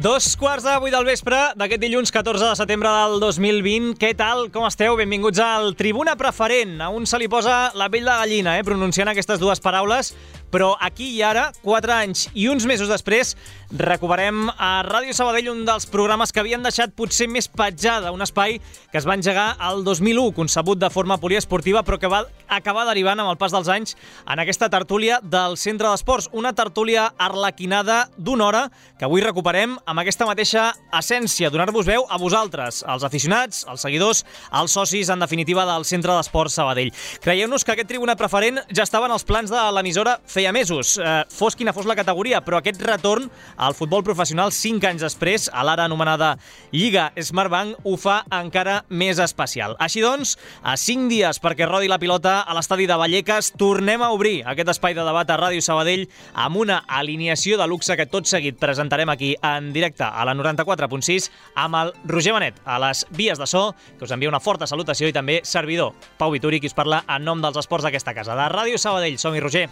2:15 del vespre d'aquest dilluns 14 de setembre del 2020. Què tal? Com esteu? Benvinguts al Tribuna Preferent. A un se li posa la pell de gallina, pronunciant aquestes dues paraules, però aquí i ara, 4 anys i uns mesos després, recuperem a Ràdio Sabadell un dels programes que havien deixat potser més petjada, un espai que es va engegar el 2001, concebut de forma poliesportiva, però que va acabar derivant amb el pas dels anys en aquesta tertúlia del Centre d'Esports, una tertúlia arlequinada d'una hora que avui recuperem amb aquesta mateixa essència, donar-vos veu a vosaltres, als aficionats, als seguidors, als socis, en definitiva, del Centre d'Esports Sabadell. Creieu-nos que aquest Tribuna Preferent ja estava en els plans de l'emissora feia mesos, fos quina fos la categoria, però aquest retorn al futbol professional 5 anys després, a l'ara anomenada Lliga Smartbank, ho fa encara més especial. Així doncs, a 5 dies perquè rodi la pilota a l'estadi de Vallecas, tornem a obrir aquest espai de debat a Ràdio Sabadell amb una alineació de luxe que tot seguit presentarem aquí en directe a la 94.6 amb el Roger Benet a les vies de so, que us envia una forta salutació, i també servidor Pau Vituri, qui us parla en nom dels esports d'aquesta casa, de Ràdio Sabadell. Som-hi, Roger.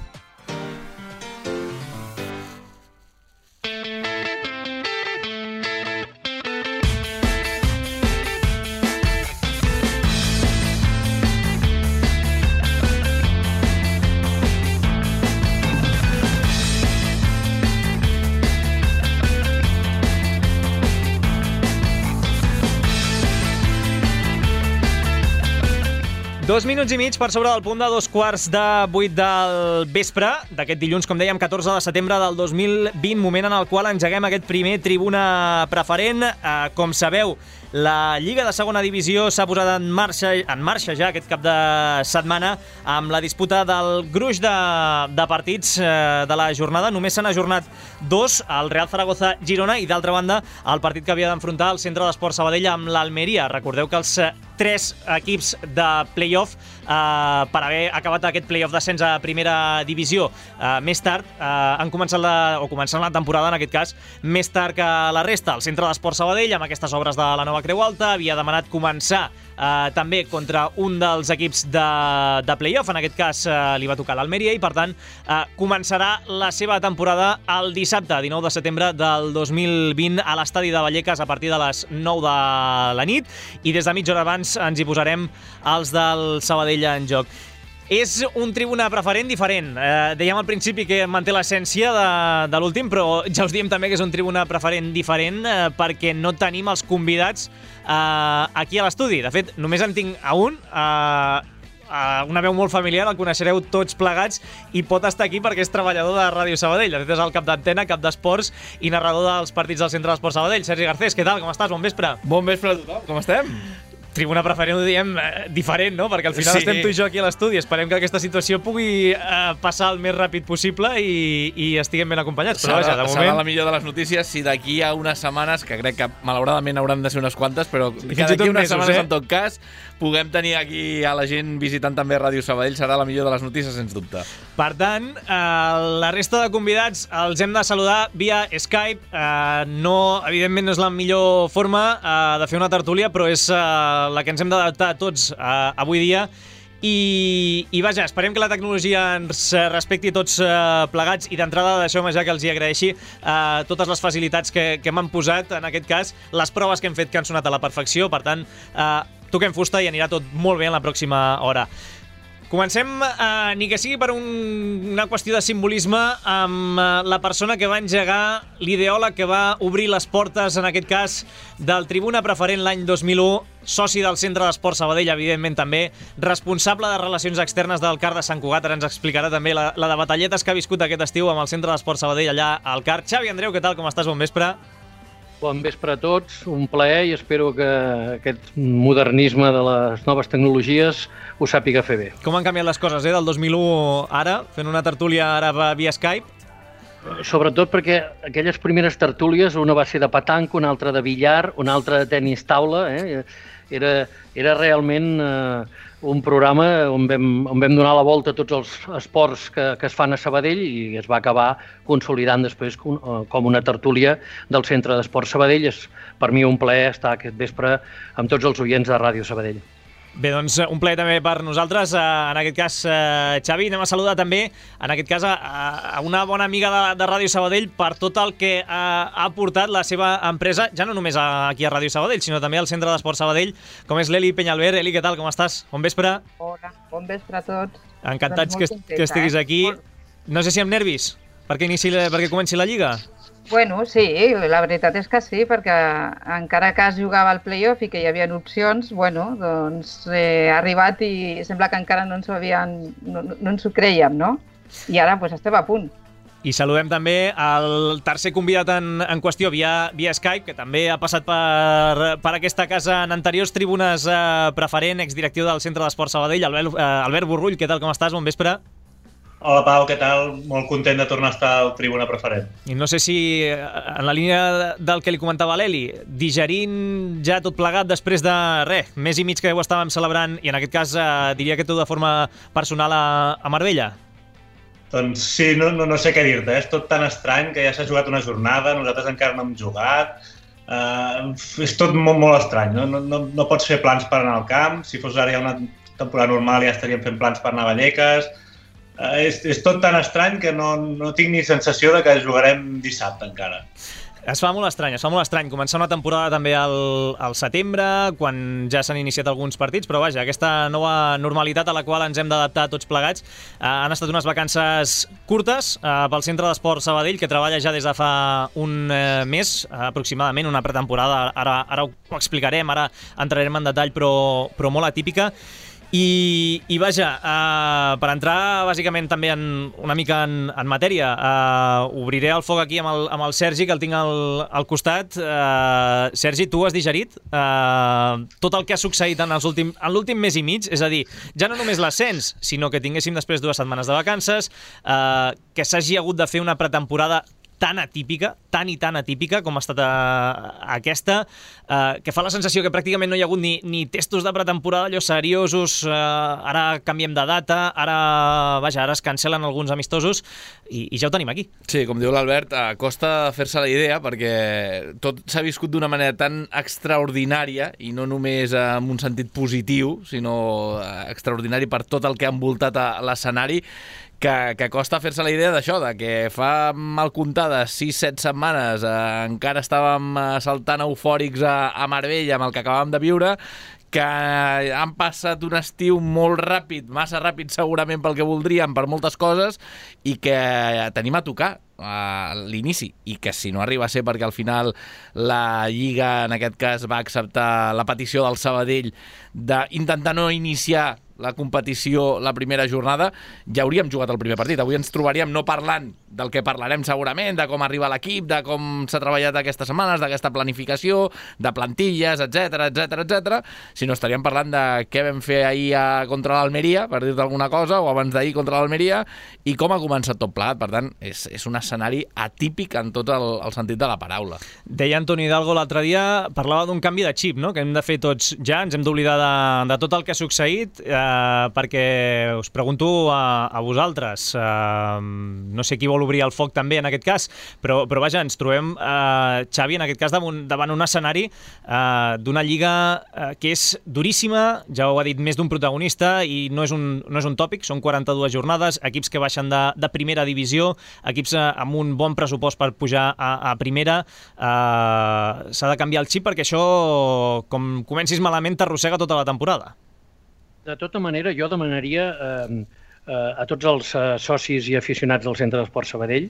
Dos minuts i mig per sobre del punt de 7:15 del vespre d'aquest dilluns, com dèiem, 14 de setembre del 2020, moment en el qual engeguem aquest primer Tribuna Preferent. Com sabeu, la Lliga de Segona Divisió s'ha posat en marxa ja aquest cap de setmana amb la disputa del gruix de partits de la jornada. Només s'han ajornat 2, el Real Zaragoza-Girona, i d'altra banda el partit que havia d'enfrontar el Centre d'Esports Sabadell amb l'Almeria. Recordeu que els 3 equips de play-off, per haver acabat aquest play-off d'ascens a primera divisió més tard, començant la temporada, en aquest cas, més tard que la resta. El Centre d'Esports Sabadell, amb aquestes obres de la nova Creu Alta, havia demanat començar també contra un dels equips de play-off. En aquest cas li va tocar l'Almeria i, per tant, començarà la seva temporada el dissabte, 19 de setembre del 2020, a l'estadi de Vallecas a partir de les 9 de la nit, i des de mitja hora abans ens hi posarem els del Sabadell en joc. És un Tribuna Preferent diferent. Dèiem al principi que manté l'essència de l'últim, però ja us diem també que és un Tribuna Preferent diferent perquè no tenim els convidats aquí a l'estudi. De fet, només en tinc a un, una veu molt familiar, el coneixereu tots plegats, i pot estar aquí perquè és treballador de Ràdio Sabadell. De fet, és el cap d'antena, cap d'esports i narrador dels partits del Centre d'Esports Sabadell. Sergi Garcés, què tal? Com estàs? Bon vespre. Bon vespre a tothom. Com estem? Tribuna Preferent ho diem diferent, no? Perquè al final estem tu i jo aquí a l'estudi. Esperem que aquesta situació pugui passar el més ràpid possible i estiguem ben acompanyats. Però vaja, de moment... Serà la millor de les notícies si d'aquí a unes setmanes, que crec que malauradament hauran de ser unes quantes, però que d'aquí a unes setmanes, en tot cas, puguem tenir aquí a la gent visitant també Ràdio Sabadell, serà la millor de les notícies, sens dubte. Per tant, la resta de convidats els hem de saludar via Skype. Evidentment no és la millor forma de fer una tertúlia, però és la que ens hem d'adaptar tots avui dia. I vaja, esperem que la tecnologia ens respecti tots plegats, i d'entrada deixeu-me ja que els hi agraeixi totes les facilitats que m'han posat, en aquest cas, les proves que hem fet que han sonat a la perfecció. Per tant, toquem fusta i anirà tot molt bé en la pròxima hora. Comencem, ni que sigui per una qüestió de simbolisme, amb la persona que va engegar, l'ideòleg que va obrir les portes, en aquest cas, del Tribuna Preferent l'any 2001, soci del Centre d'Esports Sabadell, evidentment també, responsable de relacions externes del CAR de Sant Cugat. Ara ens explicarà també la de batalletes que ha viscut aquest estiu amb el Centre d'Esports Sabadell allà al CAR. Xavi Andreu, què tal? Com estàs? Bon vespre. Bon vespre a tots, un plaer, i espero que aquest modernisme de les noves tecnologies ho sàpiga fer bé. Com han canviat les coses, del 2001 ara, fent una tertúlia ara via Skype? Sobretot perquè aquelles primeres tertúlies, una va ser de petanca, una altra de billar, una altra de tenis taula, era realment un programa on vam donar la volta a tots els esports que es fan a Sabadell, i es va acabar consolidant després com una tertúlia del Centre d'Esports Sabadell. És per mi un plaer estar aquest vespre amb tots els oients de Ràdio Sabadell. Bé, doncs un plaer també per nosaltres. En aquest cas, Xavi, anem a saludar també, en aquest cas, a una bona amiga de Ràdio Sabadell per tot el que ha aportat la seva empresa, ja no només aquí a Ràdio Sabadell, sinó també al Centre d'Esport Sabadell, com és l'Eli Peñalver. Eli, què tal, com estàs? Bon vespre. Hola, bon vespre a tots. Encantats que estiguis aquí. No sé si amb nervis, perquè comenci la Lliga. Bueno, sí, la veritat és que sí, perquè encara que es jugava al play-off i que hi havia opcions, bueno, doncs ha arribat i sembla que encara no ens ho creiem, no? I ara doncs, estem a punt. I saludem també el tercer convidat en qüestió via Skype, que també ha passat per aquesta casa en anteriors tribunes preferent, exdirectiu del Centre d'Esport Sabadell, Albert Borrull. Què tal, com estàs? Bon vespre. Hola Pau, què tal? Molt content de tornar a estar al tribuna preferent. I no sé si, en la línia del que li comentava l'Eli, digerint ja tot plegat després de mes i mig que ho estàvem celebrant, i en aquest cas diria que tu de forma personal a Marbella. Doncs sí, no sé què dir-te, és tot tan estrany que ja s'ha jugat una jornada, nosaltres encara no hem jugat, és tot molt estrany, no pots fer plans per anar al camp, si fos ara ja una temporada normal ja estaríem fent plans per anar a Vallecas. És tot tan estrany que no tinc ni sensació de que jugarem dissabte encara. Es fa molt estrany. Començar una temporada també al setembre, quan ja s'han iniciat alguns partits, però vaja, aquesta nova normalitat a la qual ens hem d'adaptar tots plegats. Han estat unes vacances curtes pel Centre d'Esport Sabadell, que treballa ja des de fa un mes, aproximadament, una pretemporada. Ara ho explicarem, ara entrarem en detall, però molt atípica. I vaja, per entrar bàsicament també una mica en matèria, obriré el foc aquí amb el Sergi, que el tinc al costat. Sergi, tu has digerit tot el que ha succeït en l'últim mes i mig? És a dir, ja no només l'ascens, sinó que tinguéssim després 2 setmanes de vacances, que s'hagi hagut de fer una pretemporada tan atípica, tan atípica com ha estat aquesta, que fa la sensació que pràcticament no hi ha hagut ni testos de pretemporada allò seriosos, ara canviem de data, ara es cancel·len alguns amistosos i ja ho tenim aquí. Sí, com diu l'Albert, costa fer-se la idea perquè tot s'ha viscut d'una manera tan extraordinària i no només en un sentit positiu, sinó extraordinari per tot el que ha envoltat l'escenari, que costa fer-se la idea d'això, de que fa mal comptades 6-7 setmanes encara estàvem saltant eufòrics a Marbella amb el que acabàvem de viure, que han passat un estiu molt ràpid, massa ràpid segurament pel que voldríem, per moltes coses, i que tenim a tocar a l'inici, i que si no arriba a ser perquè al final la Lliga en aquest cas va acceptar la petició del Sabadell d'intentar no iniciar la competició la primera jornada, ja hauríem jugat el primer partit. Avui ens trobaríem no parlant del que parlarem segurament, de com arriba l'equip, de com s'ha treballat aquestes setmanes, d'aquesta planificació, de plantilles, etc, sinó estaríem parlant de què vam fer ahir contra l'Almeria, per dir-te alguna cosa, o abans d'ahir contra l'Almeria, i com ha començat tot plegat. Per tant, és un escenari atípic en tot el sentit de la paraula. Deia Antoni Hidalgo l'altre dia, parlava d'un canvi de xip, no?, que hem de fer tots ja, ens hem d'oblidar de tot el que ha succeït, perquè us pregunto a vosaltres, no sé qui vol obrir el foc també en aquest cas, però vaja, ens trobem, Xavi, en aquest cas davant un escenari d'una lliga que és duríssima, ja ho ha dit més d'un protagonista, i no és un tòpic, són 42 jornades, equips que baixen de primera divisió, equips amb un bon pressupost per pujar a primera. S'ha de canviar el xip perquè això, com comencis malament, t'arrossega tota la temporada. De tota manera, jo demanaria a tots els socis i aficionats del Centre d'Esport Sabadell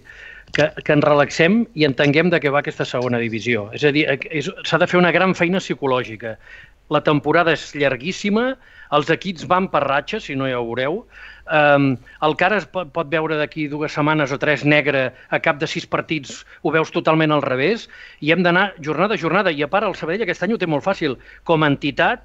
que ens relaxem i entenguem de què va aquesta segona divisió. És a dir, s'ha de fer una gran feina psicològica. La temporada és llarguíssima, els equips van per ratxes, si no ja ho veureu. El que ara es pot veure d'aquí 2 setmanes o 3 negre a cap de 6 partits, ho veus totalment al revés, i hem d'anar jornada a jornada. I a part, el Sabadell aquest any ho té molt fàcil. Com a entitat,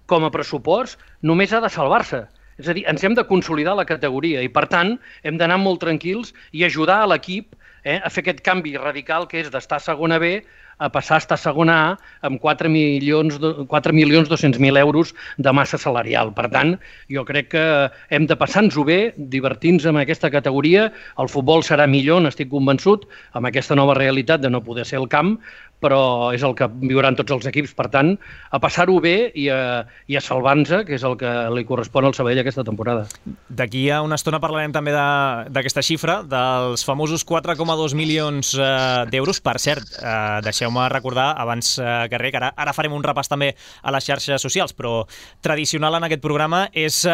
com a pressupost, només ha de salvar-se. És a dir, ens hem de consolidar la categoria i, per tant, hem d'anar molt tranquils i ajudar a l'equip a fer aquest canvi radical que és d'estar a segona B a passar a estar a segona A amb 4.200.000 euros de massa salarial. Per tant, jo crec que hem de passar-nos-ho bé, divertir-nos amb aquesta categoria. El futbol serà millor, n'estic convençut, amb aquesta nova realitat de no poder ser al camp, però és el que viuran tots els equips. Per tant, a passar-ho bé i a salvar-nos, que és el que li correspon al Sabadell aquesta temporada. D'aquí a una estona parlarem també d'aquesta xifra, dels famosos 4,2 milions d'euros. Per cert, deixeu-me recordar, abans que res, que ara farem un repàs també a les xarxes socials, però tradicional en aquest programa és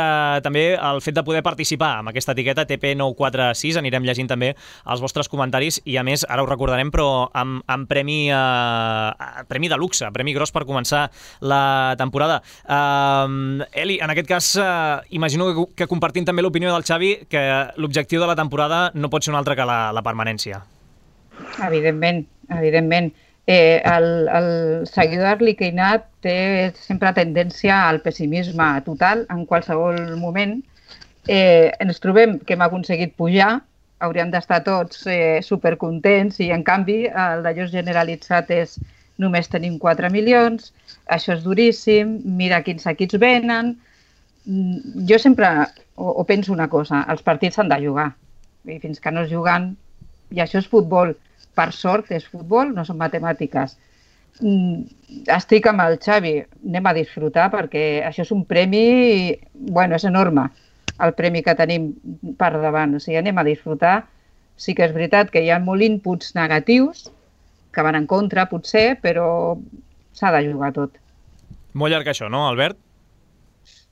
també el fet de poder participar amb aquesta etiqueta TP946. Anirem llegint també els vostres comentaris i, a més, ara ho recordarem, però amb premi de luxe, premi gros per començar la temporada. Eli, en aquest cas, imagino que compartim també l'opinió del Xavi, que l'objectiu de la temporada no pot ser un altre que la permanència. Evidentment, evidentment. El seguidor arlequinat té sempre tendència al pessimisme total en qualsevol moment. Ens trobem que hem aconseguit pujar, hauríem d'estar tots supercontents i, en canvi, el d'allò generalitzat és només tenim 4 milions, això és duríssim, mira quins equips venen. Jo sempre penso una cosa, els partits s'han de jugar, i fins que no es juguen, i això és futbol, per sort és futbol, no són matemàtiques. Estic amb el Xavi, anem a disfrutar perquè això és un premi, bueno, és enorme, el premi que tenim per davant. O sigui, anem a disfrutar. Sí que és veritat que hi ha molt inputs negatius que van en contra, potser, però s'ha de jugar tot. Molt llarg això, no, Albert?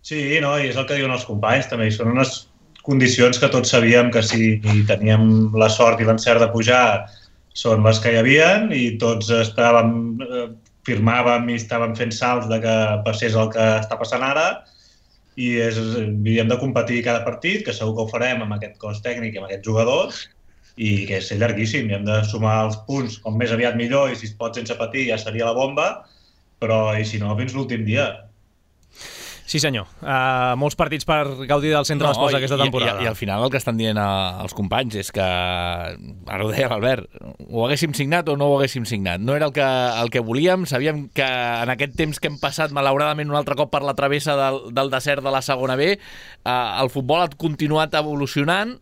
Sí, no, i és el que diuen els companys, també. Són unes condicions que tots sabíem que si teníem la sort i l'encert de pujar són les que hi havien i tots firmàvem i estàvem fent salts de que passés el que està passant ara. I hem de competir cada partit, que segur que ho farem amb aquest cos tècnic i amb aquests jugadors, i que és llarguíssim, i hem de sumar els punts com més aviat millor, i si es pot sense patir ja seria la bomba, però i si no, fins l'últim dia. Sí, senyor. Molts partits per gaudir del centre d'esports aquesta temporada. I al final el que estan dient els companys és que, ara ho deia l'Albert, ho haguéssim signat o no ho haguéssim signat. No era el que volíem. Sabíem que en aquest temps que hem passat, malauradament, un altre cop per la travessa del desert de la segona B, el futbol ha continuat evolucionant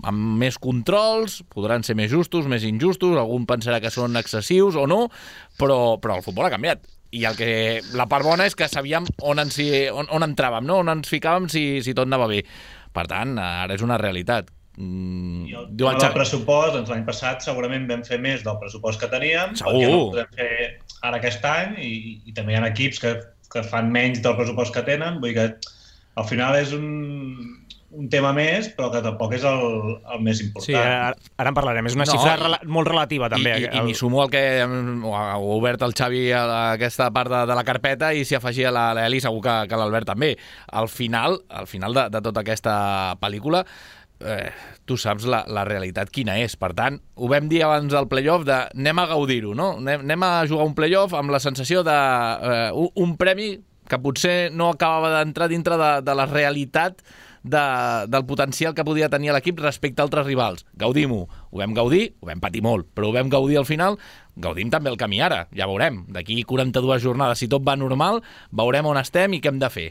amb més controls, podran ser més justos, més injustos, algun pensarà que són excessius o no, però el futbol ha canviat. I la part bona és que sabíem on entràvem, no? On ens ficàvem si tot anava bé. Per tant, ara és una realitat. I el pressupost, doncs l'any passat segurament vam fer més del pressupost que teníem, perquè no ho podem fer ara aquest any, i també hi ha equips que fan menys del pressupost que tenen, vull dir que al final és un tema més, però que tampoc és el més important. Sí, ara en parlarem. És una xifra molt relativa, també. I m'hi sumo al que ha obert el Xavi a aquesta part de la carpeta i s'hi afegia l'Eli, segur que l'Albert també. Al final de tota aquesta pel·lícula, tu saps la realitat quina és. Per tant, ho vam dir abans del playoff de anem a gaudir-ho, no? Anem a jugar un playoff amb la sensació d'un premi que potser no acabava d'entrar dintre de la realitat del potencial que podia tenir l'equip respecte a altres rivals. Gaudim-ho. Ho vam gaudir, ho vam patir molt, però ho vam gaudir al final. Gaudim també el camí ara, ja veurem. D'aquí 42 jornades, si tot va normal, veurem on estem i què hem de fer.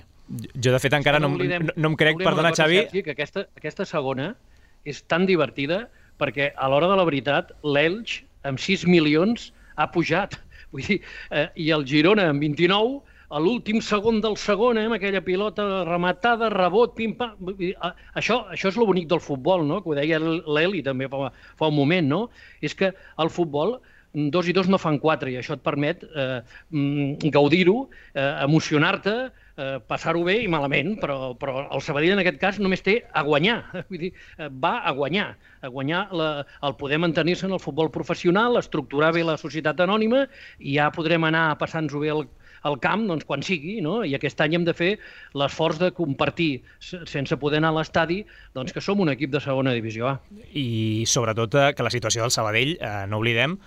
Jo, de fet, encara no em crec, perdona, Xavi... Sergi, que aquesta segona és tan divertida perquè a l'hora de la veritat l'Elx amb 6 milions ha pujat. Vull dir, i el Girona amb 29, a l'últim segon del segon, amb aquella pilota rematada, rebot, pim-pam... Això és lo bonic del futbol, no? Que ho deia l'Eli també fa un moment, no? És que el futbol, 2 i 2 no fan 4, i això et permet gaudir-ho, emocionar-te, passar-ho bé i malament, però el Sabadell en aquest cas només té a guanyar, vull dir, va a guanyar el poder mantenir-se en el futbol professional, estructurar bé la societat anònima i ja podrem anar passant-nos bé al camp doncs, quan sigui, no? I aquest any hem de fer l'esforç de compartir, sense poder anar a l'estadi, doncs que som un equip de segona divisió A. I sobretot que la situació del Sabadell, no oblidem,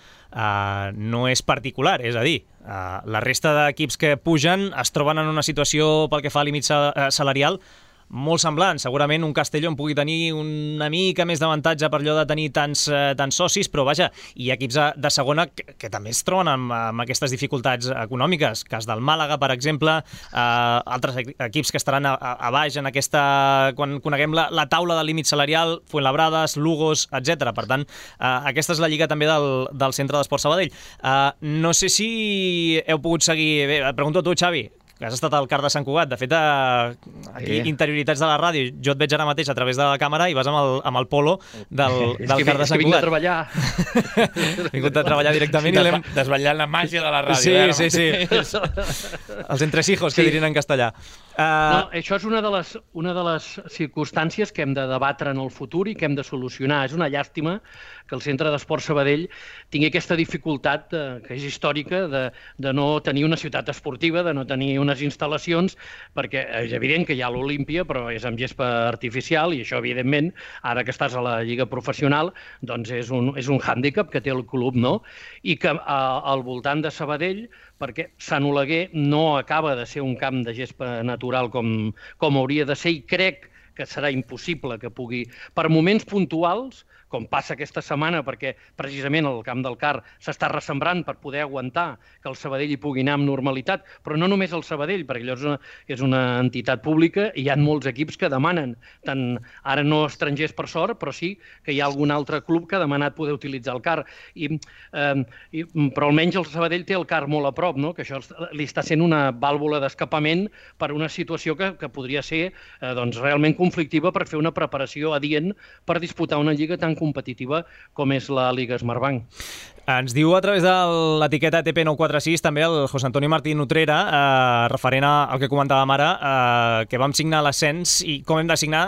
no és particular, és a dir, la resta d'equips que pugen es troben en una situació pel que fa a límit salarial molt semblant. Segurament un Castelló pugui tenir una mica més d'avantatge per allò de tenir tants socis, però vaja, hi ha equips de segona que també es troben amb aquestes dificultats econòmiques. Cas del Màlaga, per exemple, altres equips que estaran a baix en aquesta... Quan coneguem la taula de límit salarial, Fuenlabrades, Lugos, etc. Per tant, aquesta és la lliga també del Centre d'Esport Sabadell. No sé si heu pogut seguir... Bé, et pregunto a tu, Xavi, que has estat al CAR de Sant Cugat. De fet, aquí, interioritats de la ràdio, jo et veig ara mateix a través de la càmera i vas amb el polo del CAR de Sant Cugat. És que vinc a treballar. Vingut a treballar directament. Desvetllant la màgia de la ràdio. Sí. Els entresijos, que dirien en castellà. No, això és una de les circumstàncies que hem de debatre en el futur i que hem de solucionar. És una llàstima que el Centre d'Esport Sabadell tingui aquesta dificultat, que és històrica, de no tenir una ciutat esportiva, de no tenir unes instal·lacions, perquè és evident que hi ha l'Olímpia, però és amb gespa artificial, i això, evidentment, ara que estàs a la lliga professional, doncs és un hàndicap que té el club, no? I que al voltant de Sabadell, perquè Sant Oleguer no acaba de ser un camp de gespa natural com hauria de ser, i crec que serà impossible que pugui, per moments puntuals, com passa aquesta setmana, perquè precisament el camp del CAR s'està ressembrant per poder aguantar que el Sabadell hi pugui anar amb normalitat, però no només el Sabadell, perquè allò és una entitat pública i hi ha molts equips que demanen, tant ara no estrangers per sort, però sí que hi ha algun altre club que ha demanat poder utilitzar el CAR. Però almenys el Sabadell té el CAR molt a prop, no? Que això li està sent una vàlvula d'escapament per una situació que podria ser realment conflictiva per fer una preparació adient per disputar una lliga tan competitiva com és la Lliga Smartbank. Ens diu a través de l'etiqueta TP946 també el José Antonio Martín Utrera, referent al que comentàvem ara, que vam signar l'ascens i com hem de signar,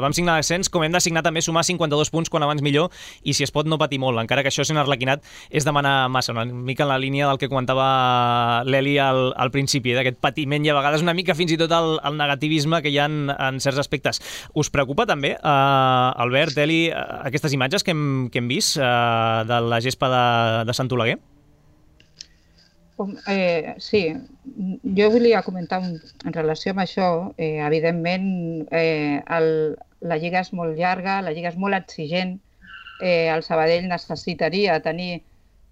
vam signar l'ascens, com hem de signar també sumar 52 punts quan abans millor i si es pot no patir molt, encara que això sent arlequinat és demanar massa, una mica en la línia del que comentava l'Eli al principi, d'aquest patiment i a vegades una mica fins i tot el negativisme que hi ha en certs aspectes. Us preocupa també, Albert, Eli, aquestes imatges que hem vist de la gespa de Sant Oleguer? Sí, jo volia comentar en relació amb això. Evidentment, la lliga és molt llarga, la lliga és molt exigent. El Sabadell necessitaria tenir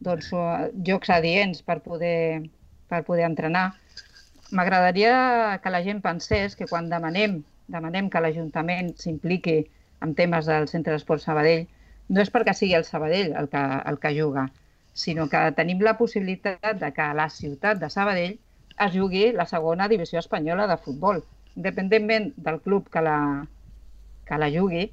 jocs adients per poder entrenar. M'agradaria que la gent pensés que quan demanem que l'Ajuntament s'impliqui en temes del Centre d'Esport Sabadell, no és perquè sigui el Sabadell el que juga, sinó que tenim la possibilitat de que a la ciutat de Sabadell es jugui la segona divisió espanyola de futbol. Independentment del club que la jugui,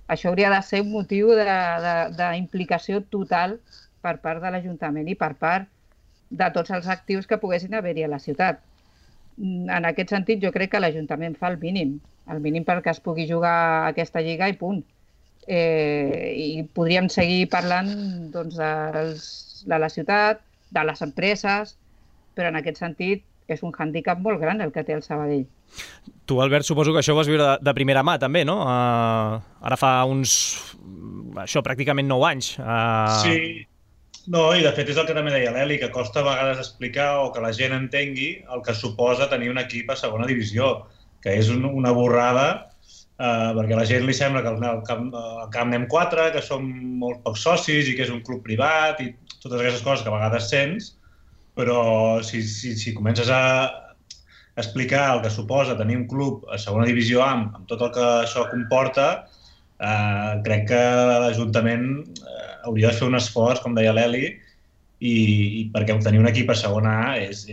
això hauria de ser un motiu d'implicació total per part de l'Ajuntament i per part de tots els actius que poguessin haver-hi a la ciutat. En aquest sentit, jo crec que l'Ajuntament fa el mínim perquè es pugui jugar aquesta lliga i punt. I podríem seguir parlant de la ciutat, de les empreses, però en aquest sentit és un hàndicap molt gran el que té el Sabadell. Tu, Albert, suposo que això ho vas viure de primera mà també, no? Ara fa pràcticament 9 anys. Sí. No, i de fet és el que també deia l'Eli, que costa a vegades explicar o que la gent entengui el que suposa tenir un equip a segona divisió, que és una borrada, perquè a la gent li sembla que al camp anem 4, que som molt pocs socis i que és un club privat i totes aquestes coses que a vegades sents, però si comences a explicar el que suposa tenir un club a segona divisió amb tot el que això comporta, crec que l'Ajuntament hauria de fer un esforç, com deia l'Eli, i perquè tenir un equip a segona A és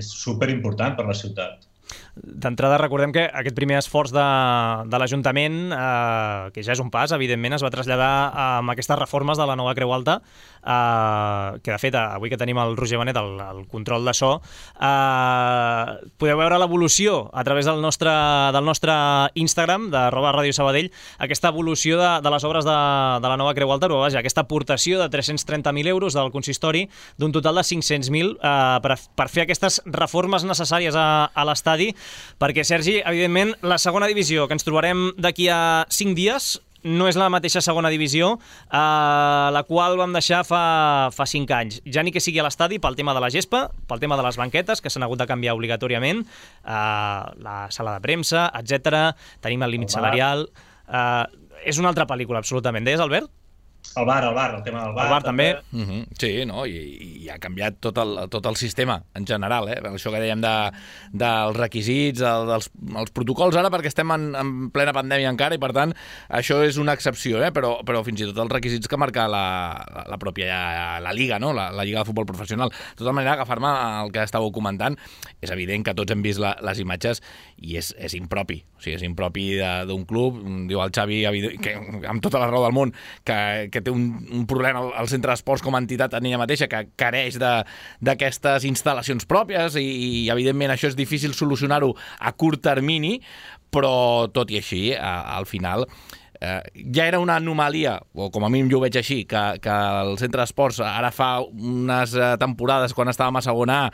superimportant per la ciutat. D'entrada, recordem que aquest primer esforç de l'Ajuntament, que ja és un pas, evidentment, es va traslladar amb aquestes reformes de la nova Creu Alta, que de fet, avui que tenim el Roger Benet, el control de so, podeu veure l'evolució a través del nostre Instagram, @radiosabadell, aquesta evolució de les obres de la nova Creu Alta, però vaja, aquesta aportació de 330.000 euros del consistori, d'un total de 500.000 per fer aquestes reformes necessàries a l'estadi, perquè, Sergi, evidentment, la segona divisió, que ens trobarem d'aquí a 5 dies, no és la mateixa segona divisió, la qual vam deixar fa 5 anys. Ja ni que sigui a l'estadi pel tema de la gespa, pel tema de les banquetes, que s'han hagut de canviar obligatòriament, la sala de premsa, etc. Tenim el límit salarial. És una altra pel·lícula, absolutament. Deies, Albert? El bar, el tema del bar. El bar també. Sí, no? I ha canviat tot el sistema en general, això que dèiem dels requisits, dels protocols ara, perquè estem en plena pandèmia encara i per tant això és una excepció, però fins i tot els requisits que marca la pròpia la Lliga, no? La Lliga de Futbol Professional. De tota manera, agafar-me el que estàveu comentant, és evident que tots hem vist les imatges i és impropi. O sigui, és impropi d'un club. Diu el Xavi, que, amb tota la raó del món, que té un problema al centre d'esports com a entitat en ella mateixa, que careix d'aquestes instal·lacions pròpies i evidentment això és difícil solucionar-ho a curt termini, però tot i així, al final ja era una anomalia, o com a mínim jo ho veig així, que el centre d'esports ara fa unes temporades, quan estàvem a segona A,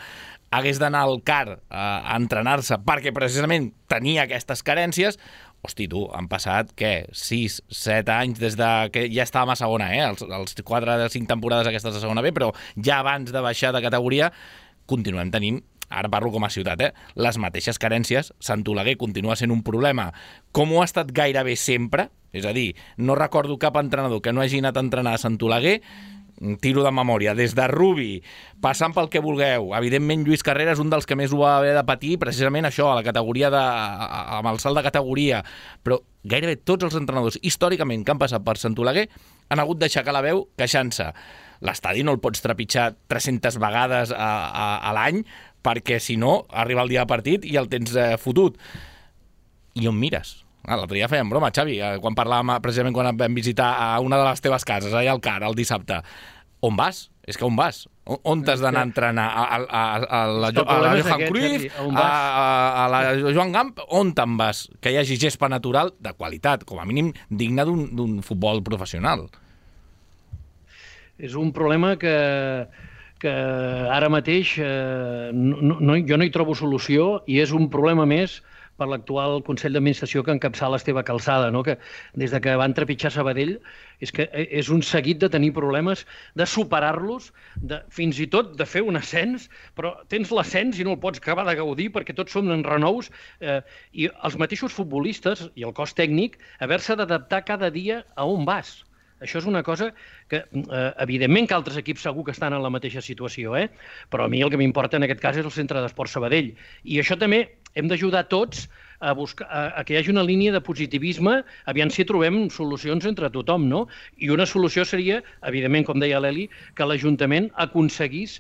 hagués d'anar al CAR a entrenar-se perquè precisament tenia aquestes carències. Hosti, tu, han passat, 6, 7 anys des que ja estàvem a segona, els 4 de 5 temporades aquestes de segona B, però ja abans de baixar de categoria continuem tenint, ara parlo com a ciutat, les mateixes carències. Sant Oleguer continua sent un problema, com ho ha estat gairebé sempre, és a dir, no recordo cap entrenador que no hagi anat a entrenar a Sant Oleguer, tiro de memòria, des de Rubi, passant pel que vulgueu. Evidentment, Lluís Carrera és un dels que més ho va haver de patir, precisament això, a la categoria amb el salt de categoria. Però gairebé tots els entrenadors, històricament, que han passat per Sant Oleguer, han hagut d'aixecar la veu queixant-se. L'estadi no el pots trepitjar 300 vegades a l'any, perquè si no, arriba el dia de partit i el tens fotut. I on mires? L'altre dia fèiem broma, Xavi, quan parlàvem, precisament quan vam visitar a una de les teves cases, allà al CAR, el dissabte. On vas? És que on vas? On t'has d'anar a entrenar? A la Johan Cruyff? A la Joan Gamp? On te'n vas? Que hi hagi gespa natural de qualitat, com a mínim digne d'un futbol professional. És un problema que ara mateix jo no hi trobo solució i és un problema més per l'actual Consell d'Administració que encapçala Esteve Calçada, no? Que des de que van trepitjar Sabadell és un seguit de tenir problemes, de superar-los, fins i tot de fer un ascens, però tens l'ascens i no el pots acabar de gaudir perquè tots som en renous i els mateixos futbolistes i el cos tècnic haver-se d'adaptar cada dia a on vas. Això és una cosa que, evidentment, que altres equips segur que estan en la mateixa situació, però a mi el que m'importa en aquest cas és el Centre d'Esports Sabadell. I això també hem d'ajudar tots a que hi hagi una línia de positivisme, aviam si trobem solucions entre tothom, no? I una solució seria, evidentment, com deia l'Eli, que l'Ajuntament aconseguís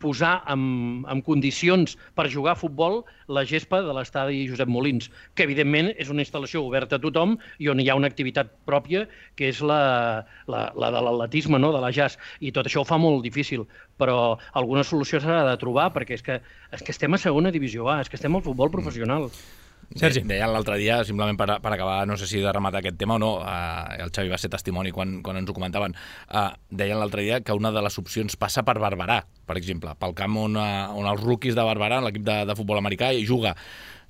posar en condicions per jugar a futbol la gespa de l'estadi Josep Molins, que evidentment és una instal·lació oberta a tothom i on hi ha una activitat pròpia, que és la de l'atletisme, no? De la jazz, i tot això ho fa molt difícil, però alguna solució s'ha de trobar, perquè és que estem a segona divisió A, és que estem al futbol professional. Sergi. Deien l'altre dia, simplement per acabar, no sé si de rematar aquest tema o no, el Xavi va ser testimoni quan ens ho comentaven, deien l'altre dia que una de les opcions passa per Barberà, per exemple, pel camp on els rookies de Barberà, l'equip de futbol americà, hi juga.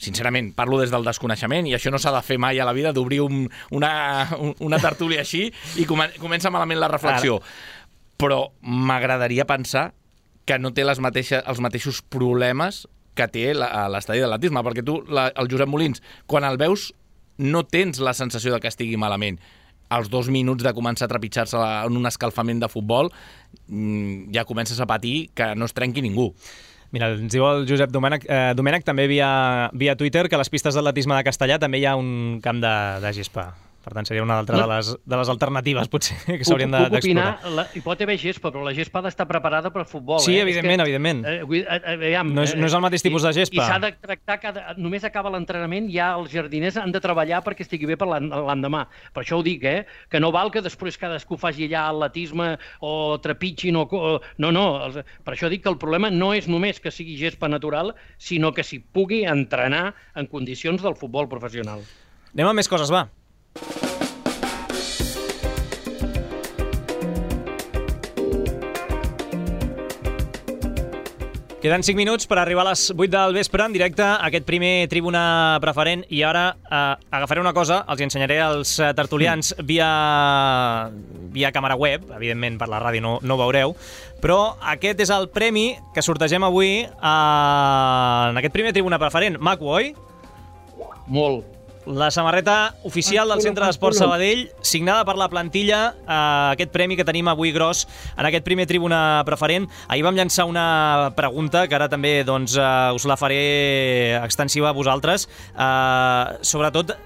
Sincerament, parlo des del desconeixement i això no s'ha de fer mai a la vida, d'obrir una tertúlia així i comença malament la reflexió. Però m'agradaria pensar que no té els mateixos problemes que té l'estadi d'atletisme, perquè tu, el Josep Molins, quan el veus, no tens la sensació de que estigui malament. Als 2 minuts de començar a trepitjar-se en un escalfament de futbol, ja comences a patir que no es trenqui ningú. Mira, ens diu el Josep Domènech també via Twitter que a les pistes d'atletisme de Castellà també hi ha un camp de gespa. Per tant, seria una altra de les alternatives, potser, que s'haurien d'explorar. Hi pot haver gespa, però la gespa ha d'estar preparada per futbol. Sí, evidentment. No és el mateix tipus de gespa. I s'ha de tractar, només acaba l'entrenament, ja els jardiners han de treballar perquè estigui bé per l'endemà. Per això ho dic, que no val que després cadascú faci allà atletisme o trepitgin o... No, per això dic que el problema no és només que sigui gespa natural, sinó que s'hi pugui entrenar en condicions del futbol professional. Anem a més coses, va. Queden 5 minuts per arribar a les 8 del vespre en directe a aquest primer Tribuna Preferent i ara agafaré una cosa, els ensenyaré als tertulians via càmera web, evidentment per la ràdio no ho veureu, però aquest és el premi que sortegem avui en aquest primer Tribuna Preferent. Maco, oi? Molt. La samarreta oficial del Centre d'Esports Sabadell, signada per la plantilla, aquest premi que tenim avui gros en aquest primer Tribuna Preferent. Ahir vam llançar una pregunta, que ara també doncs, us la faré extensiva a vosaltres, sobretot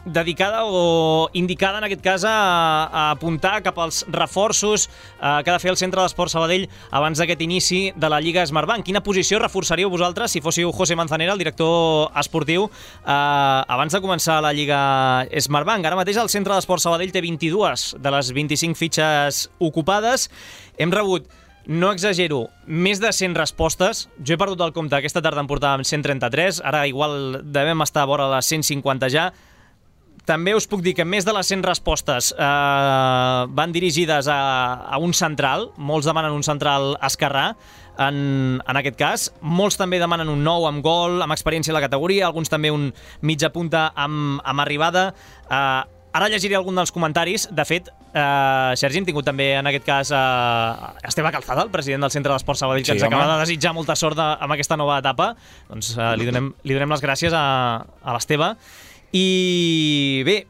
dedicada o indicada, en aquest cas, a apuntar cap als reforços que ha de fer el Centre d'Esports Sabadell abans d'aquest inici de la Lliga Smartbank. Quina posició reforçaríeu vosaltres si fóssiu José Manzanera, el director esportiu, abans de començar la Lliga Smartbank? Ara mateix el Centre d'Esports Sabadell té 22 de les 25 fitxes ocupades. Hem rebut, no exagero, més de 100 respostes. Jo he perdut el compte, aquesta tarda en portàvem 133, ara igual devem estar a vora les 150 ja. També us puc dir que més de les 100 respostes van dirigides a un central. Molts demanen un central esquerrà, en aquest cas. Molts també demanen un nou amb gol, amb experiència a la categoria, alguns també un mitja punta amb arribada. Ara llegiré algun dels comentaris. De fet, Sergi, hem tingut també en aquest cas Esteve Calzada, el president del Centre d'Esports Sabadell, que ens acaba de desitjar molta sort amb aquesta nova etapa. Doncs li donem les gràcies a l'Esteve. I bé,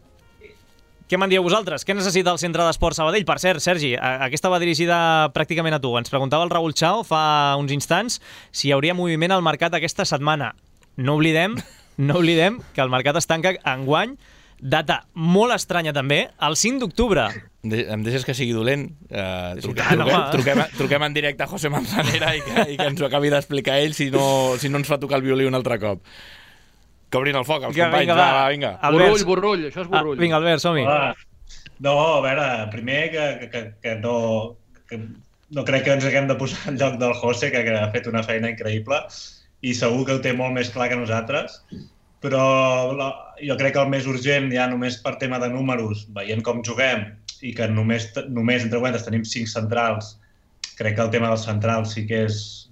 què me'n dieu vosaltres? Què necessita el Centre d'Esports Sabadell? Per cert, Sergi, aquesta va dirigida pràcticament a tu. Ens preguntava el Raül Chao fa uns instants si hi hauria moviment al mercat aquesta setmana. No oblidem que el mercat es tanca enguany, data molt estranya també, el 5 d'octubre. Em deixes que sigui dolent? Truquem en directe a José Manzanera i que ens ho acabi d'explicar ell si no ens fa tocar el violí un altre cop. Que obrin el foc, els companys. Vinga. Burrull, això és burrull. Vinga, Albert, som-hi. No, a veure, primer que no crec que ens haguem de posar al lloc del José, que ha fet una feina increïble i segur que ho té molt més clar que nosaltres, però jo crec que el més urgent, ja només per tema de números, veient com juguem i que només entre quantes tenim 5 centrals, crec que el tema dels centrals sí que és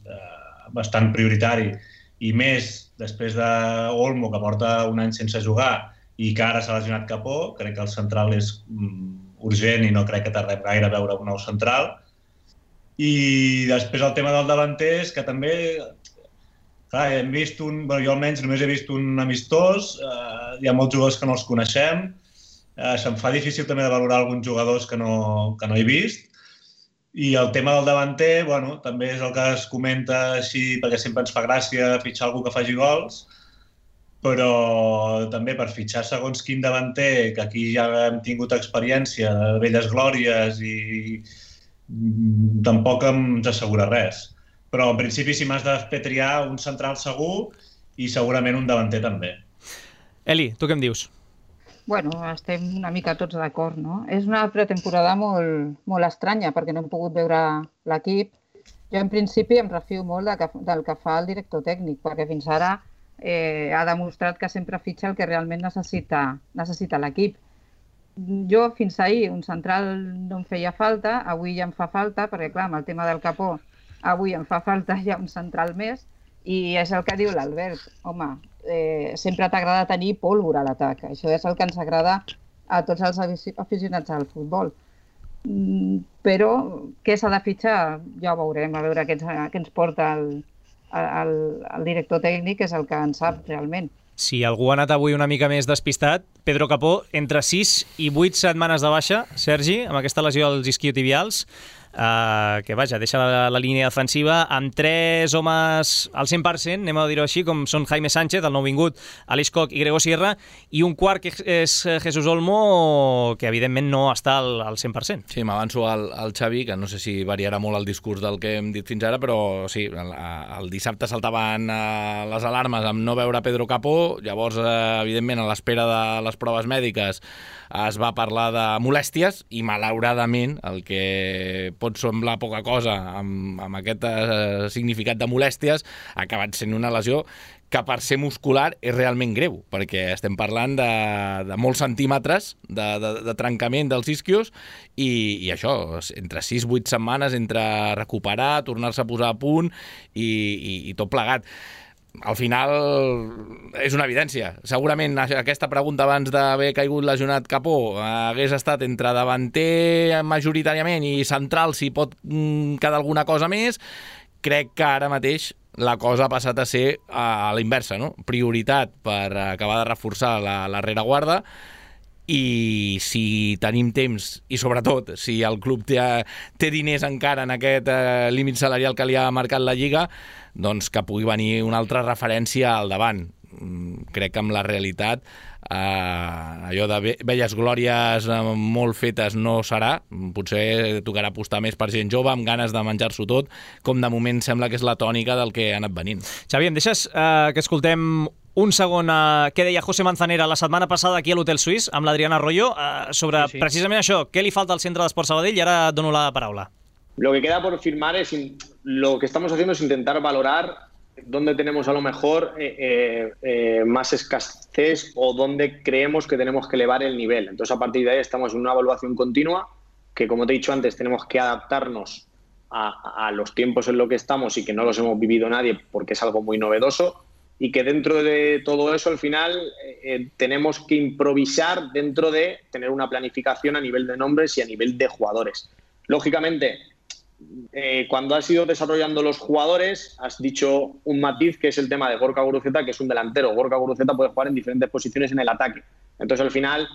bastant prioritari, i més després d'Olmo, que porta un any sense jugar i que ara s'ha lesionat Capó. Crec que el central és urgent i no crec que tardem gaire a veure un nou central. I després el tema del davanter és que també hem vist jo almenys només he vist un amistós, hi ha molts jugadors que no els coneixem, se'm fa difícil també de valorar alguns jugadors que no he vist. I el tema del davanter, també és el que es comenta així, perquè sempre ens fa gràcia fitxar algú que faci gols, però també per fitxar segons quin davanter, que aquí ja hem tingut experiència de velles glòries i tampoc ens assegura res. Però en principi si m'has de fer triar un central segur i segurament un davanter també. Eli, tu què em dius? Bueno, estem una mica tots d'acord, no? És una pretemporada molt estranya perquè no hem pogut veure l'equip. Jo, en principi, em refio molt del que fa el director tècnic, perquè fins ara ha demostrat que sempre fitxa el que realment necessita l'equip. Jo, fins ahir, un central no em feia falta, avui ja em fa falta, perquè, clar, amb el tema del Capó, avui em fa falta ja un central més, i és el que diu l'Albert. Home, sempre t'agrada tenir pólvora a l'atac. Això és el que ens agrada a tots els aficionats al futbol. Però què s'ha de fitxar? Ja ho veurem, a veure què ens porta el director tècnic, que és el que en sap realment. Si algú ha anat avui una mica més despistat, Pedro Capó, entre 6 i 8 setmanes de baixa, Sergi, amb aquesta lesió als isquiotibials, que vaja, deixa la línia defensiva amb 3 homes al 100%, anem a dir-ho així, com són Jaime Sánchez, el nouvingut, Aleix Koch i Gregor Sierra, i un quart que és Jesús Olmo, que evidentment no està al 100%. Sí, m'avanço al Xavi, que no sé si variarà molt el discurs del que hem dit fins ara, però sí, el dissabte saltaven les alarmes amb no veure Pedro Capó, llavors, evidentment, a l'espera de les proves mèdiques es va parlar de molèsties i, malauradament, el que pot semblar poca cosa amb aquest significat de molèsties ha acabat sent una lesió que per ser muscular és realment greu, perquè estem parlant de molts centímetres de trencament dels isquios i això, entre 6-8 setmanes, entre recuperar, tornar-se a posar a punt i tot plegat. Al final és una evidència. Segurament aquesta pregunta abans d'haver caigut lesionat Capó hagués estat entre davanter majoritàriament i central si pot quedar alguna cosa més. Crec que ara mateix la cosa ha passat a ser a la inversa, no? Prioritat per acabar de reforçar la rereguarda i si tenim temps i sobretot si el club té diners encara en aquest límit salarial que li ha marcat la Lliga, doncs que pugui venir una altra referència al davant. Crec que amb la realitat allò de velles glòries molt fetes no serà. Potser tocarà apostar més per gent jove amb ganes de menjar-s'ho tot, com de moment sembla que és la tònica del que ha anat venint. Xavi, em deixes que escoltem un segon què deia José Manzanera la setmana passada aquí a l'Hotel Suís amb l'Adrián Arroyo sobre precisament això, què li falta al centre d'Esports Sabadell, i ara dono la paraula. Lo que queda por firmar es lo que estamos haciendo es intentar valorar dónde tenemos a lo mejor más escasez o dónde creemos que tenemos que elevar el nivel. Entonces, a partir de ahí estamos en una evaluación continua que, como te he dicho antes, tenemos que adaptarnos a los tiempos en los que estamos y que no los hemos vivido nadie porque es algo muy novedoso, y que dentro de todo eso, al final, tenemos que improvisar dentro de tener una planificación a nivel de nombres y a nivel de jugadores. Lógicamente, cuando has ido desarrollando los jugadores, has dicho un matiz que es el tema de Gorka Guruceta, que es un delantero. Gorka Guruceta puede jugar en diferentes posiciones en el ataque. Entonces, al final,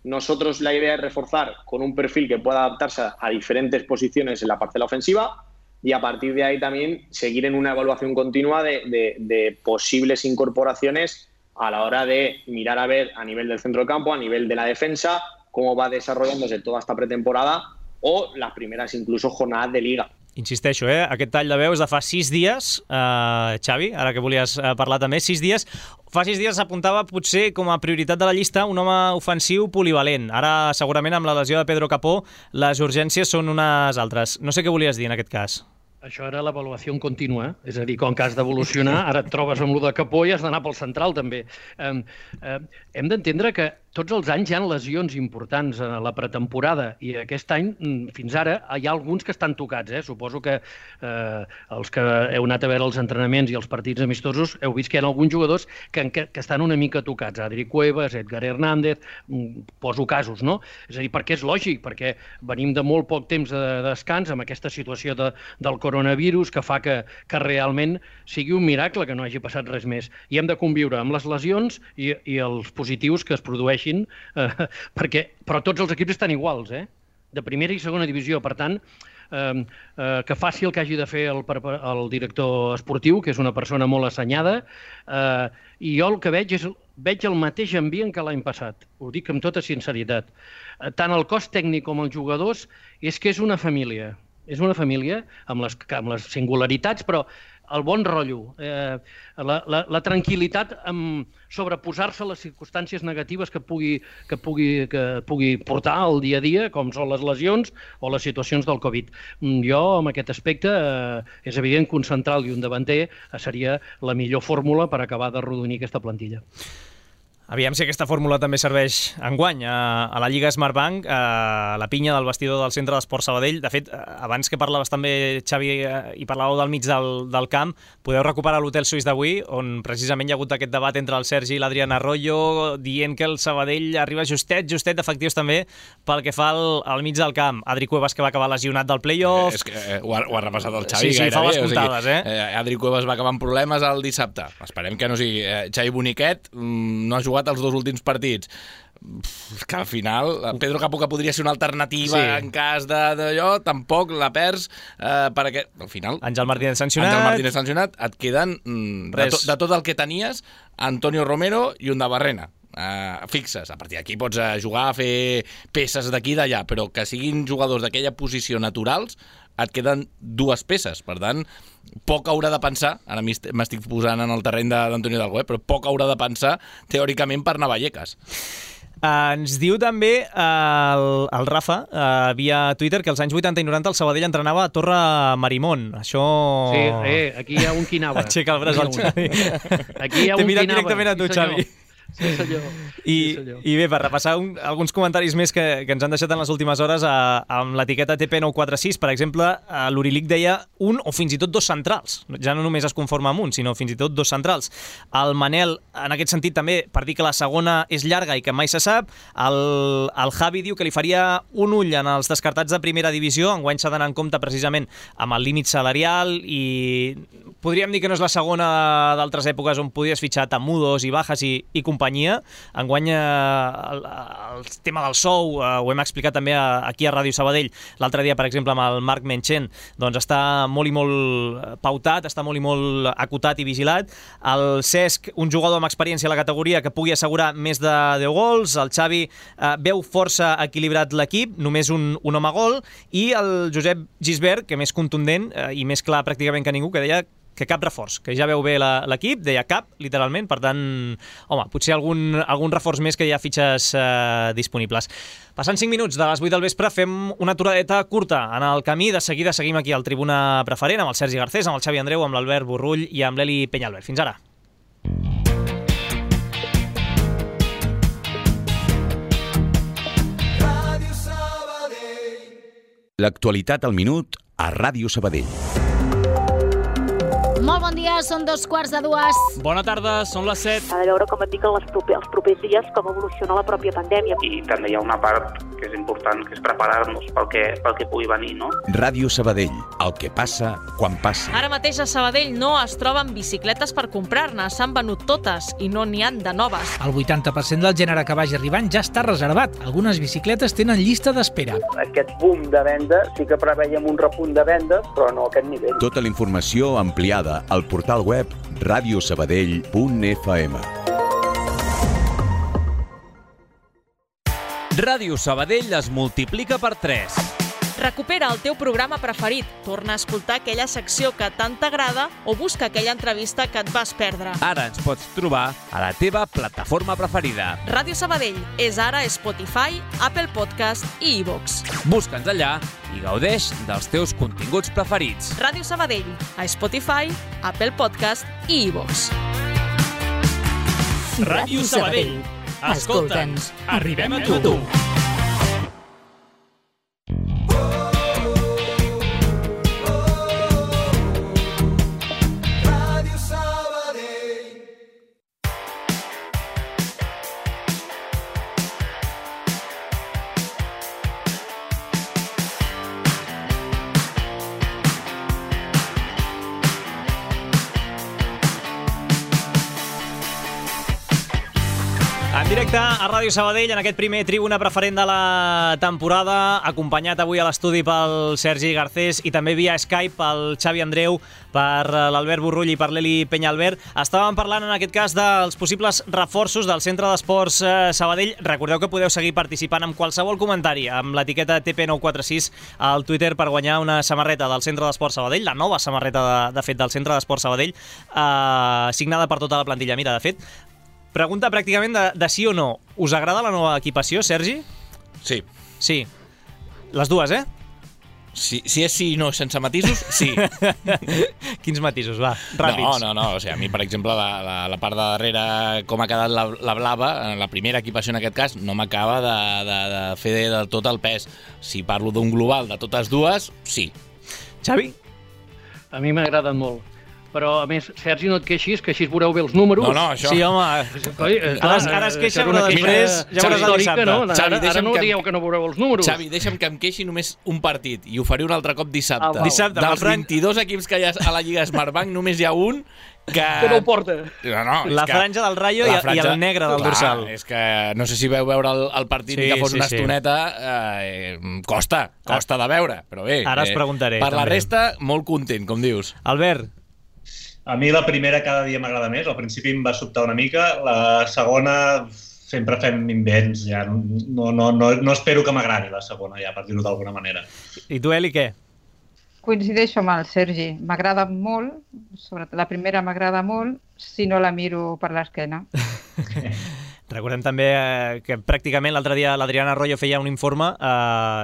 nosotros la idea es reforzar con un perfil que pueda adaptarse a diferentes posiciones en la parcela ofensiva y a partir de ahí también seguir en una evaluación continua de posibles incorporaciones a la hora de mirar a ver a nivel del centro del campo, a nivel de la defensa, cómo va desarrollándose toda esta pretemporada o las primeras incluso jornadas de Liga. Insisteixo, aquest tall de veu és de fa 6 dies, Xavi, ara que volies parlar també, 6 dies. Fa 6 dies s'apuntava potser com a prioritat de la llista un home ofensiu polivalent. Ara, segurament, amb la lesió de Pedro Capó, les urgències són unes altres. No sé què volies dir en aquest cas. Això era l'avaluació contínua, és a dir, com que has d'evolucionar, ara et trobes amb lo de Capó i has d'anar pel central també. Hem d'entendre que tots els anys hi ha lesions importants a la pretemporada i aquest any, fins ara, hi ha alguns que estan tocats. Suposo que els que heu anat a veure els entrenaments i els partits amistosos heu vist que hi ha alguns jugadors que estan una mica tocats. Adri Cuevas, Edgar Hernández, poso casos, no? És a dir, perquè és lògic, perquè venim de molt poc temps de descans amb aquesta situació del coronavirus que fa que realment sigui un miracle que no hagi passat res més. I hem de conviure amb les lesions i els positius que es produeixin, però tots els equips estan iguals, de primera i segona divisió. Per tant, que faci el que hagi de fer el director esportiu, que és una persona molt assenyada, i jo el que veig el mateix ambient que l'any passat. Ho dic amb tota sinceritat. Tant el cos tècnic com els jugadors és que és una família. És una família amb les singularitats, però el bon rotllo, la tranquil·litat en sobreposar-se a les circumstàncies negatives que pugui portar el dia a dia, com són les lesions o les situacions del Covid. Jo, amb aquest aspecte, és evident que un central i un davanter seria la millor fórmula per acabar de rodonir aquesta plantilla. Aviam si aquesta fórmula també serveix enguany a la Lliga Smartbank, a la pinya del vestidor del Centre d'Esports Sabadell. De fet, abans que parlaves també, Xavi, i parlàveu del mig del camp, podeu recuperar l'Hotel Suís d'avui, on precisament hi ha hagut aquest debat entre el Sergi i l'Adrián Arroyo, dient que el Sabadell arriba justet d'efectius també pel que fa al mig del camp. Adri Cuevas, que va acabar lesionat del play-off. És que ho ha repassat el Xavi gairebé. Sí, fa les comptades, Adri Cuevas va acabar amb problemes el dissabte. Esperem que no sigui. Xavi Boniquet no ha jugat els 2 últims partits. Que al final Pedro Capó, que podria ser una alternativa en cas d'allò, tampoc la perds perquè al final Àngel Martínez sancionat, et queden de tot el que tenies Antonio Romero i un de Barrena fixes. A partir d'aquí pots jugar a fer peces d'aquí i d'allà, però que siguin jugadors d'aquella posició naturals et queden 2 peces. Per tant, poc haurà de pensar, ara m'estic posant en el terreny d'Antonio Dalgo, però poc haurà de pensar teòricament per anar a Vallecas. Ens diu també el Rafa via Twitter que als anys 80 i 90 el Sabadell entrenava a Torre Marimón. Això... Sí, aquí hi ha un qui anava. Aixeca el braç al Xavi. Aquí hi ha un qui anava. T'he mirat directament a tu, Xavi. Sí, senyor. I bé, per repassar alguns comentaris més que ens han deixat en les últimes hores amb l'etiqueta TP946, per exemple, l'Urilic deia un o fins i tot dos centrals. Ja no només es conforma amb un, sinó fins i tot dos centrals. El Manel, en aquest sentit, també, per dir que la segona és llarga i que mai se sap. El Javi diu que li faria un ull en els descartats de primera divisió. Enguany s'ha d'anar en compte precisament amb el límit salarial i podríem dir que no és la segona d'altres èpoques on podies fitxar Tamudos i Bajas i companyia. Enguany el tema del sou ho hem explicat també aquí a Ràdio Sabadell l'altre dia, per exemple, amb el Marc Menchen, doncs està molt i molt pautat, està molt i molt acotat i vigilat. El Cesc, un jugador amb experiència a la categoria que pugui assegurar més de 10 gols. El Xavi veu força equilibrat l'equip, només un home gol, i el Josep Gisbert, que més contundent i més clar pràcticament que ningú, que deia que cap reforç, que ja veu bé l'equip, deia cap, literalment, per tant, home, potser algun reforç més que hi ha fitxes disponibles. Passant 5 minuts de les 8 del vespre, fem una aturadeta curta en el camí. De seguida seguim aquí al Tribuna Preferent amb el Sergi Garcés, amb el Xavi Andreu, amb l'Albert Borrull i amb l'Eli Penyalbert. Fins ara. L'actualitat al minut a Ràdio Sabadell. Molt bon dia, són 2:45. Bona tarda, són les 7. Ha de veure com et dic els propers dies com evoluciona la pròpia pandèmia. I també hi ha una part que és important, que és preparar-nos pel que pugui venir, no? Ràdio Sabadell, el que passa quan passa. Ara mateix a Sabadell no es troben bicicletes per comprar-ne, s'han venut totes i no n'hi han de noves. El 80% del gènere que vagi arribant ja està reservat. Algunes bicicletes tenen llista d'espera. Aquest boom de venda, sí que preveiem un repunt de vendes, però no a aquest nivell. Tota la informació ampliada al portal web radiosabadell.fm. Ràdio Sabadell es multiplica per 3. Recupera el teu programa preferit, torna a escoltar aquella secció que tant t'agrada o busca aquella entrevista que et vas perdre. Ara ens pots trobar a la teva plataforma preferida. Ràdio Sabadell és ara Spotify, Apple Podcast i iVoox. Busca'ns allà i gaudeix dels teus continguts preferits. Ràdio Sabadell, a Spotify, Apple Podcast i iVoox. Ràdio Sabadell. Escolta'ns, arribem a tu. En directe a Ràdio Sabadell, en aquest primer Tribuna Preferent de la temporada, acompanyat avui a l'estudi pel Sergi Garcés i també via Skype pel Xavi Andreu, per l'Albert Borrull i per l'Eli Penyalbert. Estàvem parlant en aquest cas dels possibles reforços del Centre d'Esports Sabadell. Recordeu que podeu seguir participant amb qualsevol comentari amb l'etiqueta TP946 al Twitter per guanyar una samarreta del Centre d'Esports Sabadell, la nova samarreta de fet del Centre d'Esports Sabadell, signada per tota la plantilla. Mira, de fet, pregunta pràcticament de sí o no. Us agrada la nova equipació, Sergi? Sí. Sí. Les dues, eh? Si és sí i no sense matisos, sí. Quins matisos, va, ràpids. No. O sigui, a mi, per exemple, la part de darrere, com ha quedat la blava, la primera equipació en aquest cas, no m'acaba de fer del tot el pes. Si parlo d'un global de totes dues, sí. Xavi? A mi m'agraden molt. Però, a més, Sergi, no et queixis, que així veureu bé els números. No, això... Sí, home. Ara es queixa, però després ja veuràs el dissabte. No? Ara no dieu que no veureu els números. Xavi, deixa'm que em queixi només un partit i ho faré un altre cop dissabte. Dissabte, dels 22 equips que hi ha a la Lliga Smartbank, només hi ha un que no ho porta. No, la franja del Rayo i el negre del dorsal. És que no sé si veu veure el partit i que fos una estoneta. Costa de veure, però bé. Ara us preguntaré. Per la resta, molt content, com dius. Albert? A mi la primera cada dia m'agrada més. Al principi em va sobtar una mica. La segona sempre fem invents. Ja no espero que m'agradi la segona, ja, per dir-ho d'alguna manera. I tu, Eli, què? Coincideixo amb el Sergi. M'agrada molt, sobretot la primera m'agrada molt, si no la miro per l'esquena. Recordem també que pràcticament l'altre dia l'Adriana Arroyo feia un informe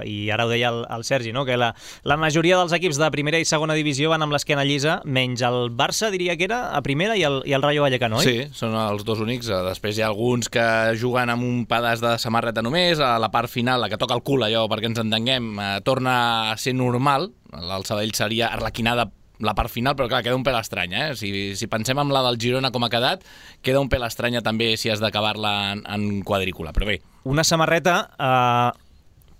i ara ho deia el Sergi, no? Que la majoria dels equips de primera i segona divisió van amb l'esquena llisa, menys el Barça, diria que era, a primera, i el Rayo Vallecano, oi? Sí, són els dos únics. Després hi ha alguns que juguen amb un pedaç de samarreta només, a la part final, la que toca el cul, allò, perquè ens entenguem, torna a ser normal. El Sabadell seria arlequinada la part final, però clar, queda un pèl estranya, Si pensem en la del Girona com ha quedat, queda un pèl estranya també si has d'acabar-la en quadrícula, però bé. Una samarreta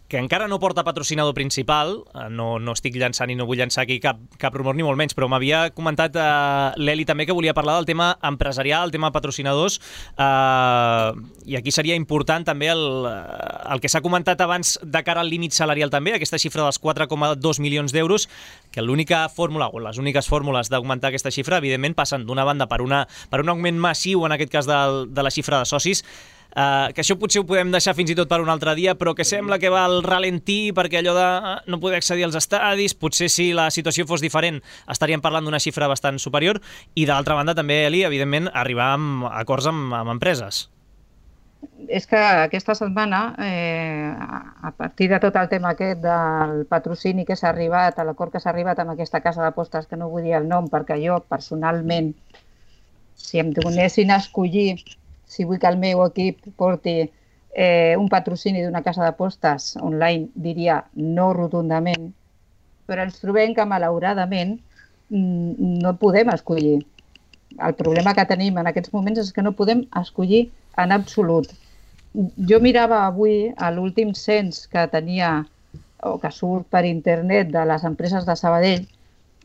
que encara no porta patrocinador principal, no estic llançant i no vull llançar aquí cap rumor ni molt menys, però m'havia comentat l'Eli també que volia parlar del tema empresarial, el tema patrocinadors, i aquí seria important també el que s'ha comentat abans de cara al límit salarial també, aquesta xifra dels 4,2 milions d'euros, que l'única fórmula o les úniques fórmules d'augmentar aquesta xifra, evidentment, passen d'una banda per un augment massiu, en aquest cas de la xifra de socis, que això potser ho podem deixar fins i tot per un altre dia, però que sembla que va al ralentí perquè allò de no poder accedir als estadis, potser si la situació fos diferent estaríem parlant d'una xifra bastant superior, i d'altra banda també, Eli, evidentment, arribar a acords amb empreses. És que aquesta setmana, a partir de tot el tema aquest del patrocini que s'ha arribat, a l'acord que s'ha arribat amb aquesta casa d'apostes, que no vull dir el nom, perquè jo, personalment, si em donessin a escollir si vull que el meu equip porti un patrocini d'una casa d'apostes online, diria no rotundament, però ens trobem que malauradament no podem escollir. El problema que tenim en aquests moments és que no podem escollir en absolut. Jo mirava avui l'últim cens que tenia o que surt per internet de les empreses de Sabadell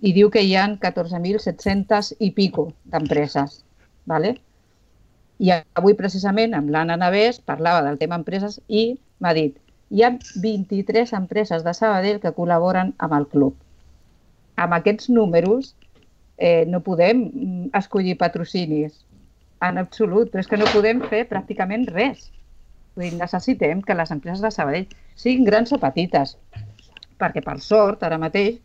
i diu que hi ha 14.700 i pico d'empreses, ¿vale? I avui, precisament, amb l'Anna Navès, parlava del tema empreses i m'ha dit hi ha 23 empreses de Sabadell que col·laboren amb el club. Amb aquests números no podem escollir patrocinis en absolut, però és que no podem fer pràcticament res. Vull dir, necessitem que les empreses de Sabadell siguin grans o petites, perquè per sort, ara mateix,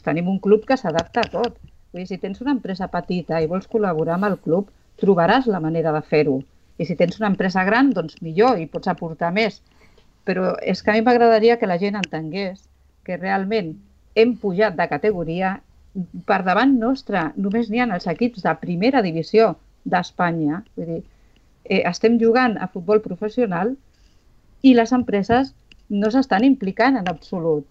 tenim un club que s'adapta a tot. Vull dir, si tens una empresa petita i vols col·laborar amb el club, trobaràs la manera de fer-ho. I si tens una empresa gran, doncs millor, i pots aportar més. Però és que a mi m'agradaria que la gent entengués que realment hem pujat de categoria. Per davant nostre només n'hi ha els equips de primera divisió d'Espanya. Vull dir, estem jugant a futbol professional i les empreses no s'estan implicant en absolut.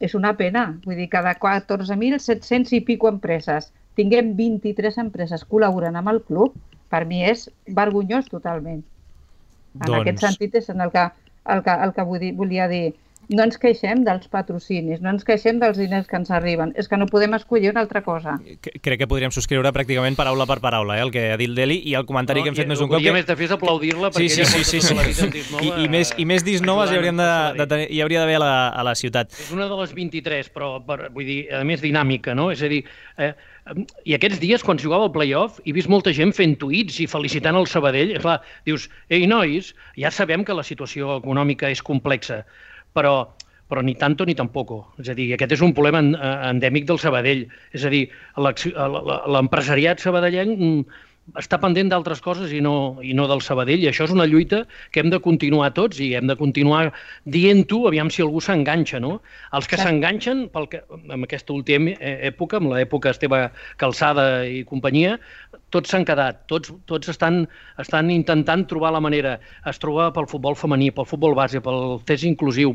És una pena. Vull dir, cada 14.700 i pico empreses tinguem 23 empreses col·laborant amb el club, per mi és vergonyós totalment. En aquest sentit és el que volia dir. No ens queixem dels patrocinis, no ens queixem dels diners que ens arriben, és que no podem escollir una altra cosa. Crec que podríem subscriure pràcticament paraula per paraula, el que ha dit l'Eli, i el comentari que hem fet més d'un cop. El que més de fer és aplaudir-la, perquè ella porta tota la vida en Disnova. I més Disnoves hi hauria d'haver a la ciutat. És una de les 23, però vull dir, a més dinàmica, no? És a dir, i aquests dies, quan jugava al play-off, he vist molta gent fent tuits i felicitant el Sabadell. Clar, dius, ei, nois, ja sabem que la situació econòmica és complexa, però ni tanto ni tampoco. És a dir, aquest és un problema endèmic del Sabadell. És a dir, l'empresariat sabadellenc està pendent d'altres coses i no del Sabadell, i això és una lluita que hem de continuar tots i hem de continuar dient-ho, aviam si algú s'enganxa, no? Els que s'enganxen en aquesta última època, en l'època Esteve Calçada i companyia, tots s'han quedat, tots estan intentant trobar la manera. Es troba pel futbol femení, pel futbol base, pel test inclusiu.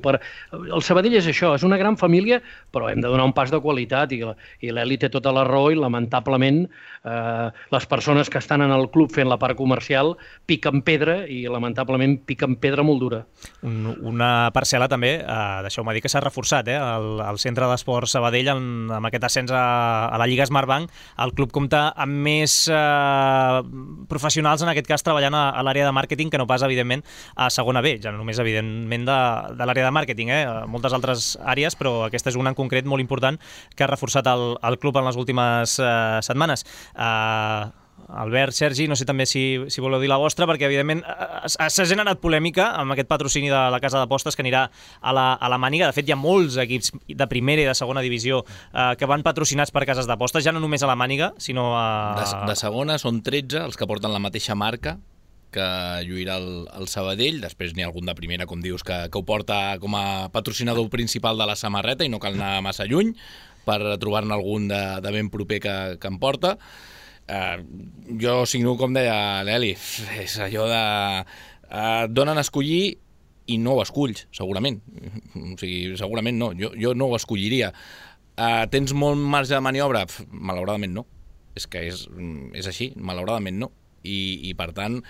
El Sabadell és això, és una gran família, però hem de donar un pas de qualitat, i l'Eli té tota la raó, i lamentablement les persones que estan en el club fent la part comercial piquen pedra, i lamentablement piquen pedra molt dura. Una parcel·la també, deixeu-me dir que s'ha reforçat, el centre d'esport Sabadell, amb aquest ascens a la Lliga Smartbank. El club compta amb més professionals, en aquest cas treballant a l'àrea de màrqueting, que no pas, evidentment, a segona B, ja no només, evidentment, de l'àrea de màrqueting, moltes altres àrees, però aquesta és una en concret molt important que ha reforçat el club en les últimes setmanes. Albert, Sergi, no sé també si voleu dir la vostra, perquè evidentment s'ha generat polèmica amb aquest patrocini de la casa d'apostes que anirà a la Màniga. De fet, hi ha molts equips de primera i de segona divisió que van patrocinats per cases d'apostes, ja no només a la Màniga, sinó a... De segona són 13 els que porten la mateixa marca, que lluirà el Sabadell. Després n'hi ha algun de primera, com dius, que ho porta com a patrocinador principal de la samarreta i no cal anar massa lluny per trobar-ne algun de ben proper que em porta. Jo signo, com deia l'Eli, és allò de... Et donen a escollir i no ho esculls, segurament. O sigui, segurament no. Jo no ho escolliria. Tens molt marge de maniobra? Malauradament no. És que és així, malauradament no. I per tant,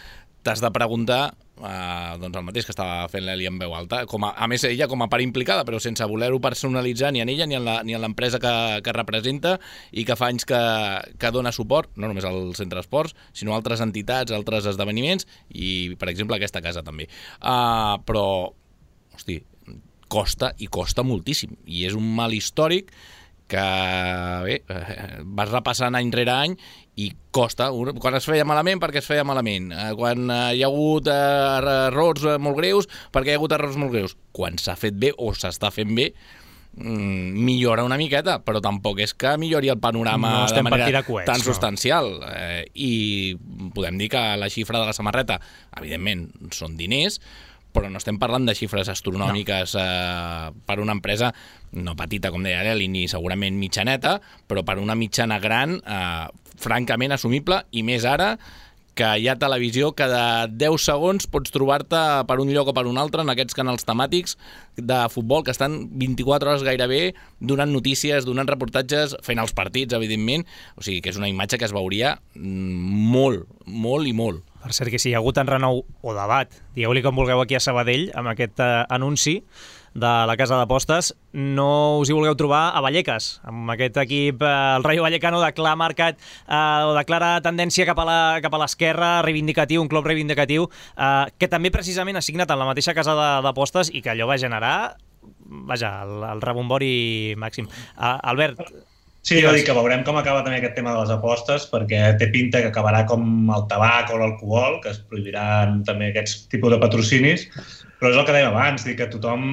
t'has de preguntar doncs el mateix que estava fent l'Eli en veu alta, a més ella com a part implicada, però sense voler-ho personalitzar ni en ella ni en l'empresa que representa i que fa anys que dona suport, no només al Centre d'Esports, sinó a altres entitats, altres esdeveniments i, per exemple, aquesta casa també. Però, hosti, costa i costa moltíssim i és un mal històric que bé, vas repassant any rere any i costa, quan es feia malament perquè es feia malament, quan hi ha hagut errors molt greus perquè hi ha hagut errors molt greus, quan s'ha fet bé o s'està fent bé millora una miqueta, però tampoc és que millori el panorama de manera tan substancial. I podem dir que la xifra de la samarreta, evidentment, són diners, però no estem parlant de xifres astronòmiques per una empresa no petita, com deia l'Eli, ni segurament mitjaneta, però per una mitjana gran, francament assumible, i més ara que hi ha televisió que de 10 segons pots trobar-te per un lloc o per un altre en aquests canals temàtics de futbol que estan 24 hores gairebé donant notícies, donant reportatges, fent els partits, evidentment. O sigui que és una imatge que es veuria molt, molt i molt. Per cert, que si hi ha hagut enrenou o debat, digueu-li com vulgueu aquí a Sabadell, amb aquest anunci de la casa d'apostes, no us hi vulgueu trobar a Vallecas, amb aquest equip, el Rayo Vallecano de clar marcat o de clara tendència cap a l'esquerra, reivindicatiu, un club reivindicatiu, que també precisament ha signat en la mateixa casa d'apostes i que allò va generar, el rebombori màxim. Albert... Sí, jo dic que veurem com acaba també aquest tema de les apostes, perquè té pinta que acabarà com el tabac o l'alcohol, que es prohibiran també aquests tipus de patrocinis, però és el que dèiem abans, dir que tothom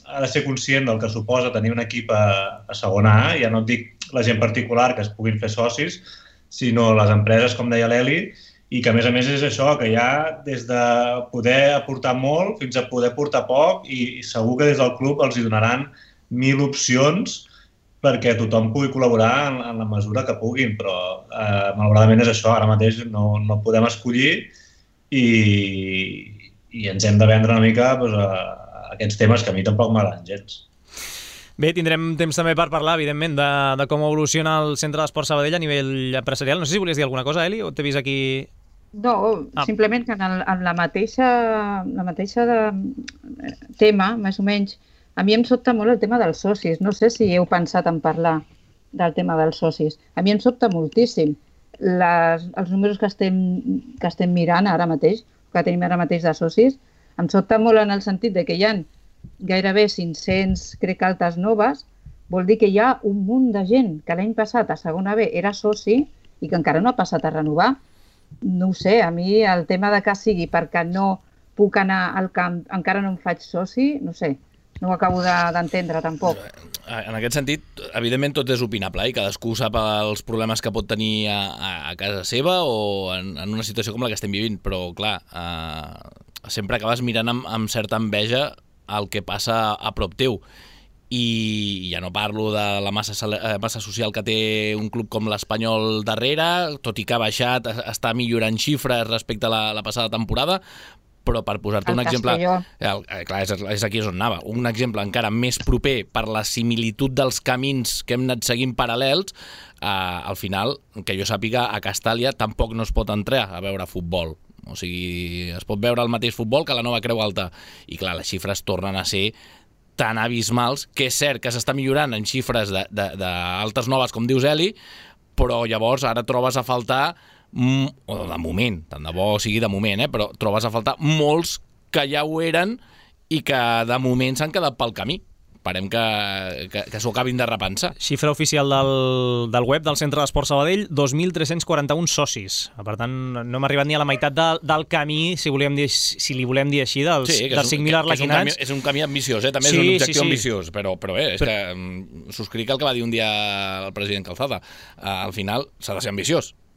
ha de ser conscient del que suposa tenir un equip a segona A, ja no et dic la gent particular que es puguin fer socis, sinó les empreses, com deia l'Eli, i que a més és això, que hi ha des de poder aportar molt fins a poder aportar poc i segur que des del club els hi donaran 1000 opcions perquè tothom pugui col·laborar en la mesura que puguin, però malauradament és això, ara mateix no podem escollir i ens hem de vendre una mica aquests temes que a mi tampoc m'agraden gens. Bé, tindrem temps també per parlar, evidentment, de com evoluciona el Centre d'Esport Sabadell a nivell empresarial. No sé si volies dir alguna cosa, Eli, o t'he vist aquí... No, simplement que en la mateixa tema, més o menys, a mi em sobta molt el tema dels socis. No sé si heu pensat en parlar del tema dels socis. A mi em sobta moltíssim. Els números que estem mirant ara mateix, que tenim ara mateix de socis, em sobta molt en el sentit de que hi ha gairebé 500, crec, altes noves, vol dir que hi ha un munt de gent que l'any passat a segona B era soci i que encara no ha passat a renovar. No ho sé, a mi el tema de que sigui perquè no puc anar al camp, encara no em faig soci, no sé. No ho acabo d'entendre, tampoc. En aquest sentit, evidentment tot és opinable i cadascú sap els problemes que pot tenir a casa seva o en una situació com la que estem vivint, però clar, sempre acabes mirant amb certa enveja el que passa a prop teu. I ja no parlo de la massa social que té un club com l'Espanyol darrere, tot i que ha baixat, està millorant xifres respecte a la passada temporada, però per posar-te un exemple... Clar, és aquí on anava. Un exemple encara més proper per la similitud dels camins que hem anat seguint paral·lels, al final, que jo sàpiga, a Castàlia tampoc no es pot entrar a veure futbol. O sigui, es pot veure el mateix futbol que la Nova Creu Alta. I clar, les xifres tornen a ser tan abismals, que és cert que s'està millorant en xifres d'altes noves, com dius, Eli, però llavors ara trobes a faltar... o de moment, tant de bo sigui de moment, però trobes a faltar molts que ja ho eren i que de moment s'han quedat pel camí. Esperem que s'ho acabin de repensar. Xifra oficial del web del Centre d'Esport Sabadell, 2.341 socis. Per tant, no hem arribat ni a la meitat del camí, si li volem dir així, dels 5.000 arlequinats. És un camí ambiciós, també és un objectiu ambiciós, però bé, és que subscric el que va dir un dia el president Calzada. Al final s'ha de ser ambiciós.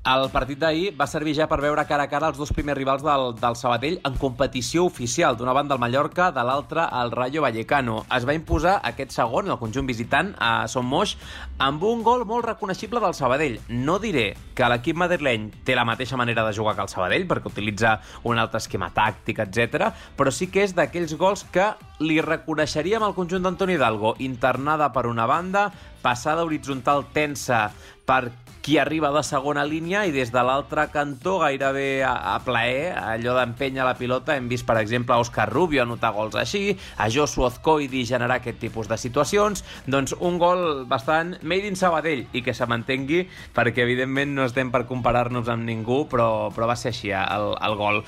El partit d'ahir va servir ja per veure cara a cara els dos primers rivals del Sabadell en competició oficial. D'una banda el Mallorca, de l'altra el Rayo Vallecano. Es va imposar aquest segon, el conjunt visitant, a Son Moix, amb un gol molt reconeixible del Sabadell. No diré que l'equip madrileny té la mateixa manera de jugar que el Sabadell, perquè utilitza un altre esquema tàctic, etc. Però sí que és d'aquells gols que li reconeixeríem al conjunt d'Antoni Hidalgo. Internada per una banda, passada horitzontal tensa per qui arriba de segona línia i des de l'altre cantó gairebé a plaer, allò d'empènyer la pilota. Hem vist, per exemple, a Òscar Rubio anotar gols així, a Josu Azcoidi generar aquest tipus de situacions. Doncs un gol bastant made in Sabadell i que se mantengui, perquè evidentment no estem per comparar-nos amb ningú, però va ser així el gol.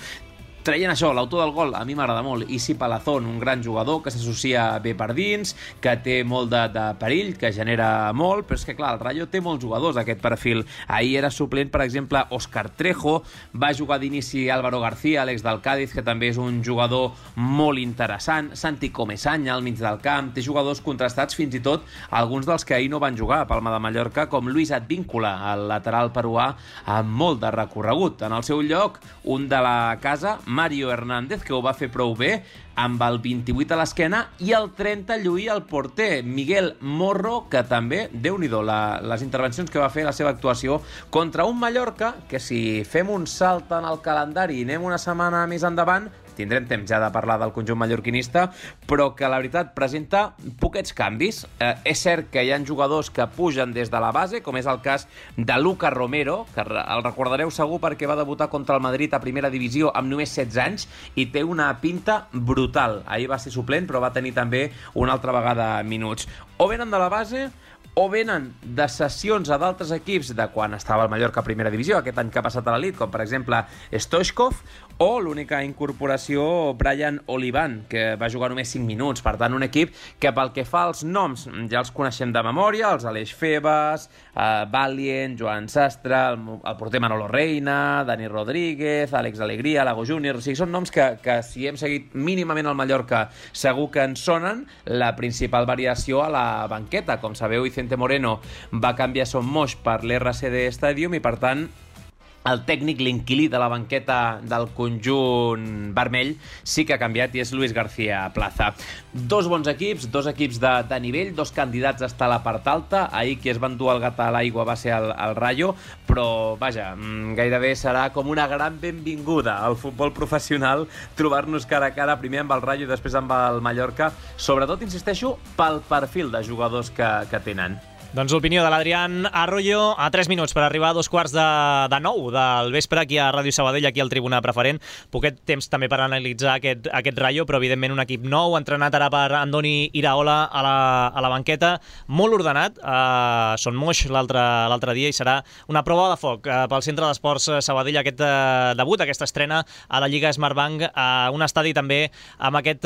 Traient això, l'autor del gol, a mi m'agrada molt, Isi Palazón, un gran jugador que s'associa bé per dins, que té molt de perill, que genera molt, però és que, clar, el Rayo té molts jugadors d'aquest perfil. Ahir era suplent, per exemple, Óscar Trejo, va jugar d'inici Álvaro García, l'ex del Cádiz, que també és un jugador molt interessant, Santi Comesaña al mig del camp, té jugadors contrastats, fins i tot alguns dels que ahir no van jugar a Palma de Mallorca, com Luis Advíncula, el lateral peruà, amb molt de recorregut. En el seu lloc, un de la casa, Mario Hernández, que ho va fer prou bé, amb el 28 a l'esquena, i el 30 lluïa el porter, Miguel Morro, que també, Déu-n'hi-do, les intervencions que va fer, la seva actuació, contra un Mallorca, que si fem un salt en el calendari i anem una setmana més endavant, tindrem temps ja de parlar del conjunt mallorquinista, però que la veritat presenta poquets canvis. És cert que hi ha jugadors que pugen des de la base, com és el cas de Lucas Romero, que el recordareu segur perquè va debutar contra el Madrid a primera divisió amb només 16 anys i té una pinta brutal. Ahir va ser suplent, però va tenir també una altra vegada minuts. O venen de la base o venen de cessions a d'altres equips de quan estava el Mallorca a primera divisió, aquest any que ha passat a l'elit, com per exemple Stoichkov, o l'única incorporació Brian Olivan, que va jugar només 5 minuts. Per tant, un equip que pel que fa als noms ja els coneixem de memòria, els Aleix Febas, Valient, Joan Sastre, el porter Manolo Reina, Dani Rodríguez, Àlex Alegría, Lago Júnior. O sigui, són noms que si hem seguit mínimament el Mallorca segur que ens sonen. La principal variació a la banqueta, com sabeu, Vicente Moreno va canviar Son Moix per l'RCD Stadium i, per tant, el tècnic, l'inquilí de la banqueta del conjunt vermell, sí que ha canviat i és Luis García Plaza. Dos bons equips, dos equips de nivell, dos candidats a estar a la part alta. Ahir qui es va endur el gat a l'aigua va ser el Rayo, però vaja, gairebé serà com una gran benvinguda al futbol professional trobar-nos cara a cara, primer amb el Rayo i després amb el Mallorca, sobretot, insisteixo, pel perfil de jugadors que tenen. Doncs l'opinió de l'Adrián Arroyo a 3 minuts per arribar a 8:45 del vespre aquí a Ràdio Sabadell, aquí al Tribuna Preferent. Poquet temps també per analitzar aquest Rayo, però evidentment un equip nou, entrenat ara per Andoni Iraola a la banqueta, molt ordenat, Son Moix l'altre dia, i serà una prova de foc pel Centre d'Esports Sabadell, aquest debut, aquesta estrena a la Lliga Smartbank, a un estadi també amb aquest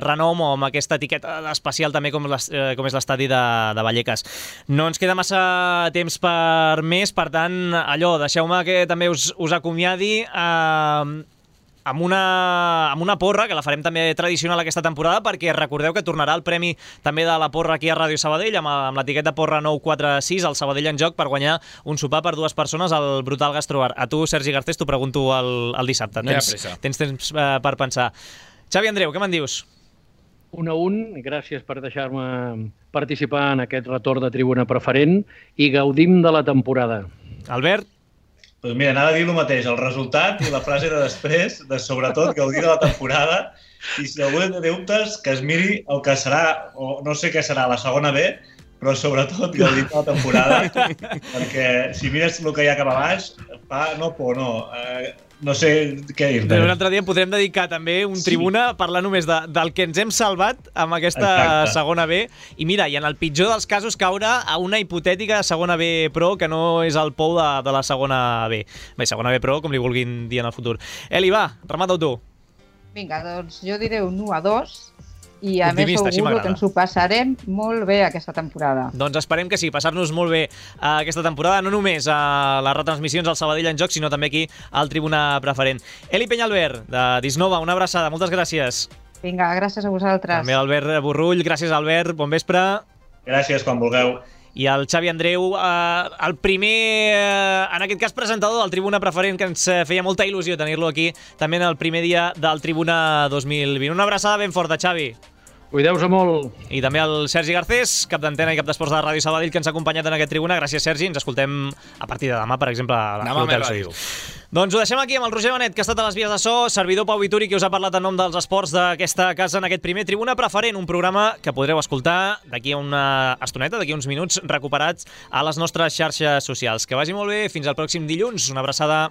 renom o amb aquesta etiqueta especial també com és l'estadi de Vallecas. No ens queda massa temps per més, per tant, deixeu-me que també us acomiadi amb una porra, que la farem també tradicional aquesta temporada, perquè recordeu que tornarà el premi també de la porra aquí a Ràdio Sabadell, amb l'etiqueta porra 946, el Sabadell en joc, per guanyar un sopar per 2 persones al Brutal Gastrobar. A tu, Sergi Garcés, t'ho pregunto el dissabte. Tens temps per pensar. Xavi Andreu, què me'n dius? 1-1, gràcies per deixar-me participar en aquest retorn de Tribuna Preferent i gaudim de la temporada. Albert? Doncs mira, anava a dir el mateix, el resultat i la frase de després, de sobretot gaudir de la temporada, i si algú té dubtes, que es miri el que serà, o no sé què serà, la segona B, però sobretot gaudir de la temporada, perquè si mires el que hi ha cap a baix, no sé què dir-te. Un altre dia podrem dedicar també un Tribuna a parlar només del que ens hem salvat amb aquesta segona B. I mira, i en el pitjor dels casos caure a una hipotètica segona B Pro, que no és el pou de la segona B. Bé, segona B Pro, com li vulguin dir en el futur. Eli, va, remata-ho tu. Vinga, doncs jo diré un 1-2. I a més segur que ens ho passarem molt bé aquesta temporada. Doncs esperem que sí, passar-nos molt bé aquesta temporada, no només a les retransmissions al Sabadell en joc, sinó també aquí al Tribuna Preferent. Eli Peñalver, de Disnova, una abraçada, moltes gràcies. Vinga, gràcies a vosaltres. També Albert Borrull, gràcies Albert, bon vespre. Gràcies, quan vulgueu. i el Xavi Andreu, el primer, en aquest cas presentador del Tribuna Preferent, que ens feia molta il·lusió tenir-lo aquí també en el primer dia del Tribuna 2020. Una abraçada ben forta, Xavi. Cuideu-se molt. I també el Sergi Garcés, cap d'antena i cap d'esports de Ràdio Sabadell, que ens ha acompanyat en aquest Tribuna. Gràcies, Sergi. Ens escoltem a partir de demà, per exemple, a l'Hotel Suís. Doncs ho deixem aquí amb el Roger Benet, que ha estat a les vies de so, servidor Pau Vituri, que us ha parlat en nom dels esports d'aquesta casa en aquest primer Tribuna Preferent, un programa que podreu escoltar d'aquí a una estoneta, d'aquí a uns minuts, recuperats a les nostres xarxes socials. Que vagi molt bé, fins al pròxim dilluns. Una abraçada.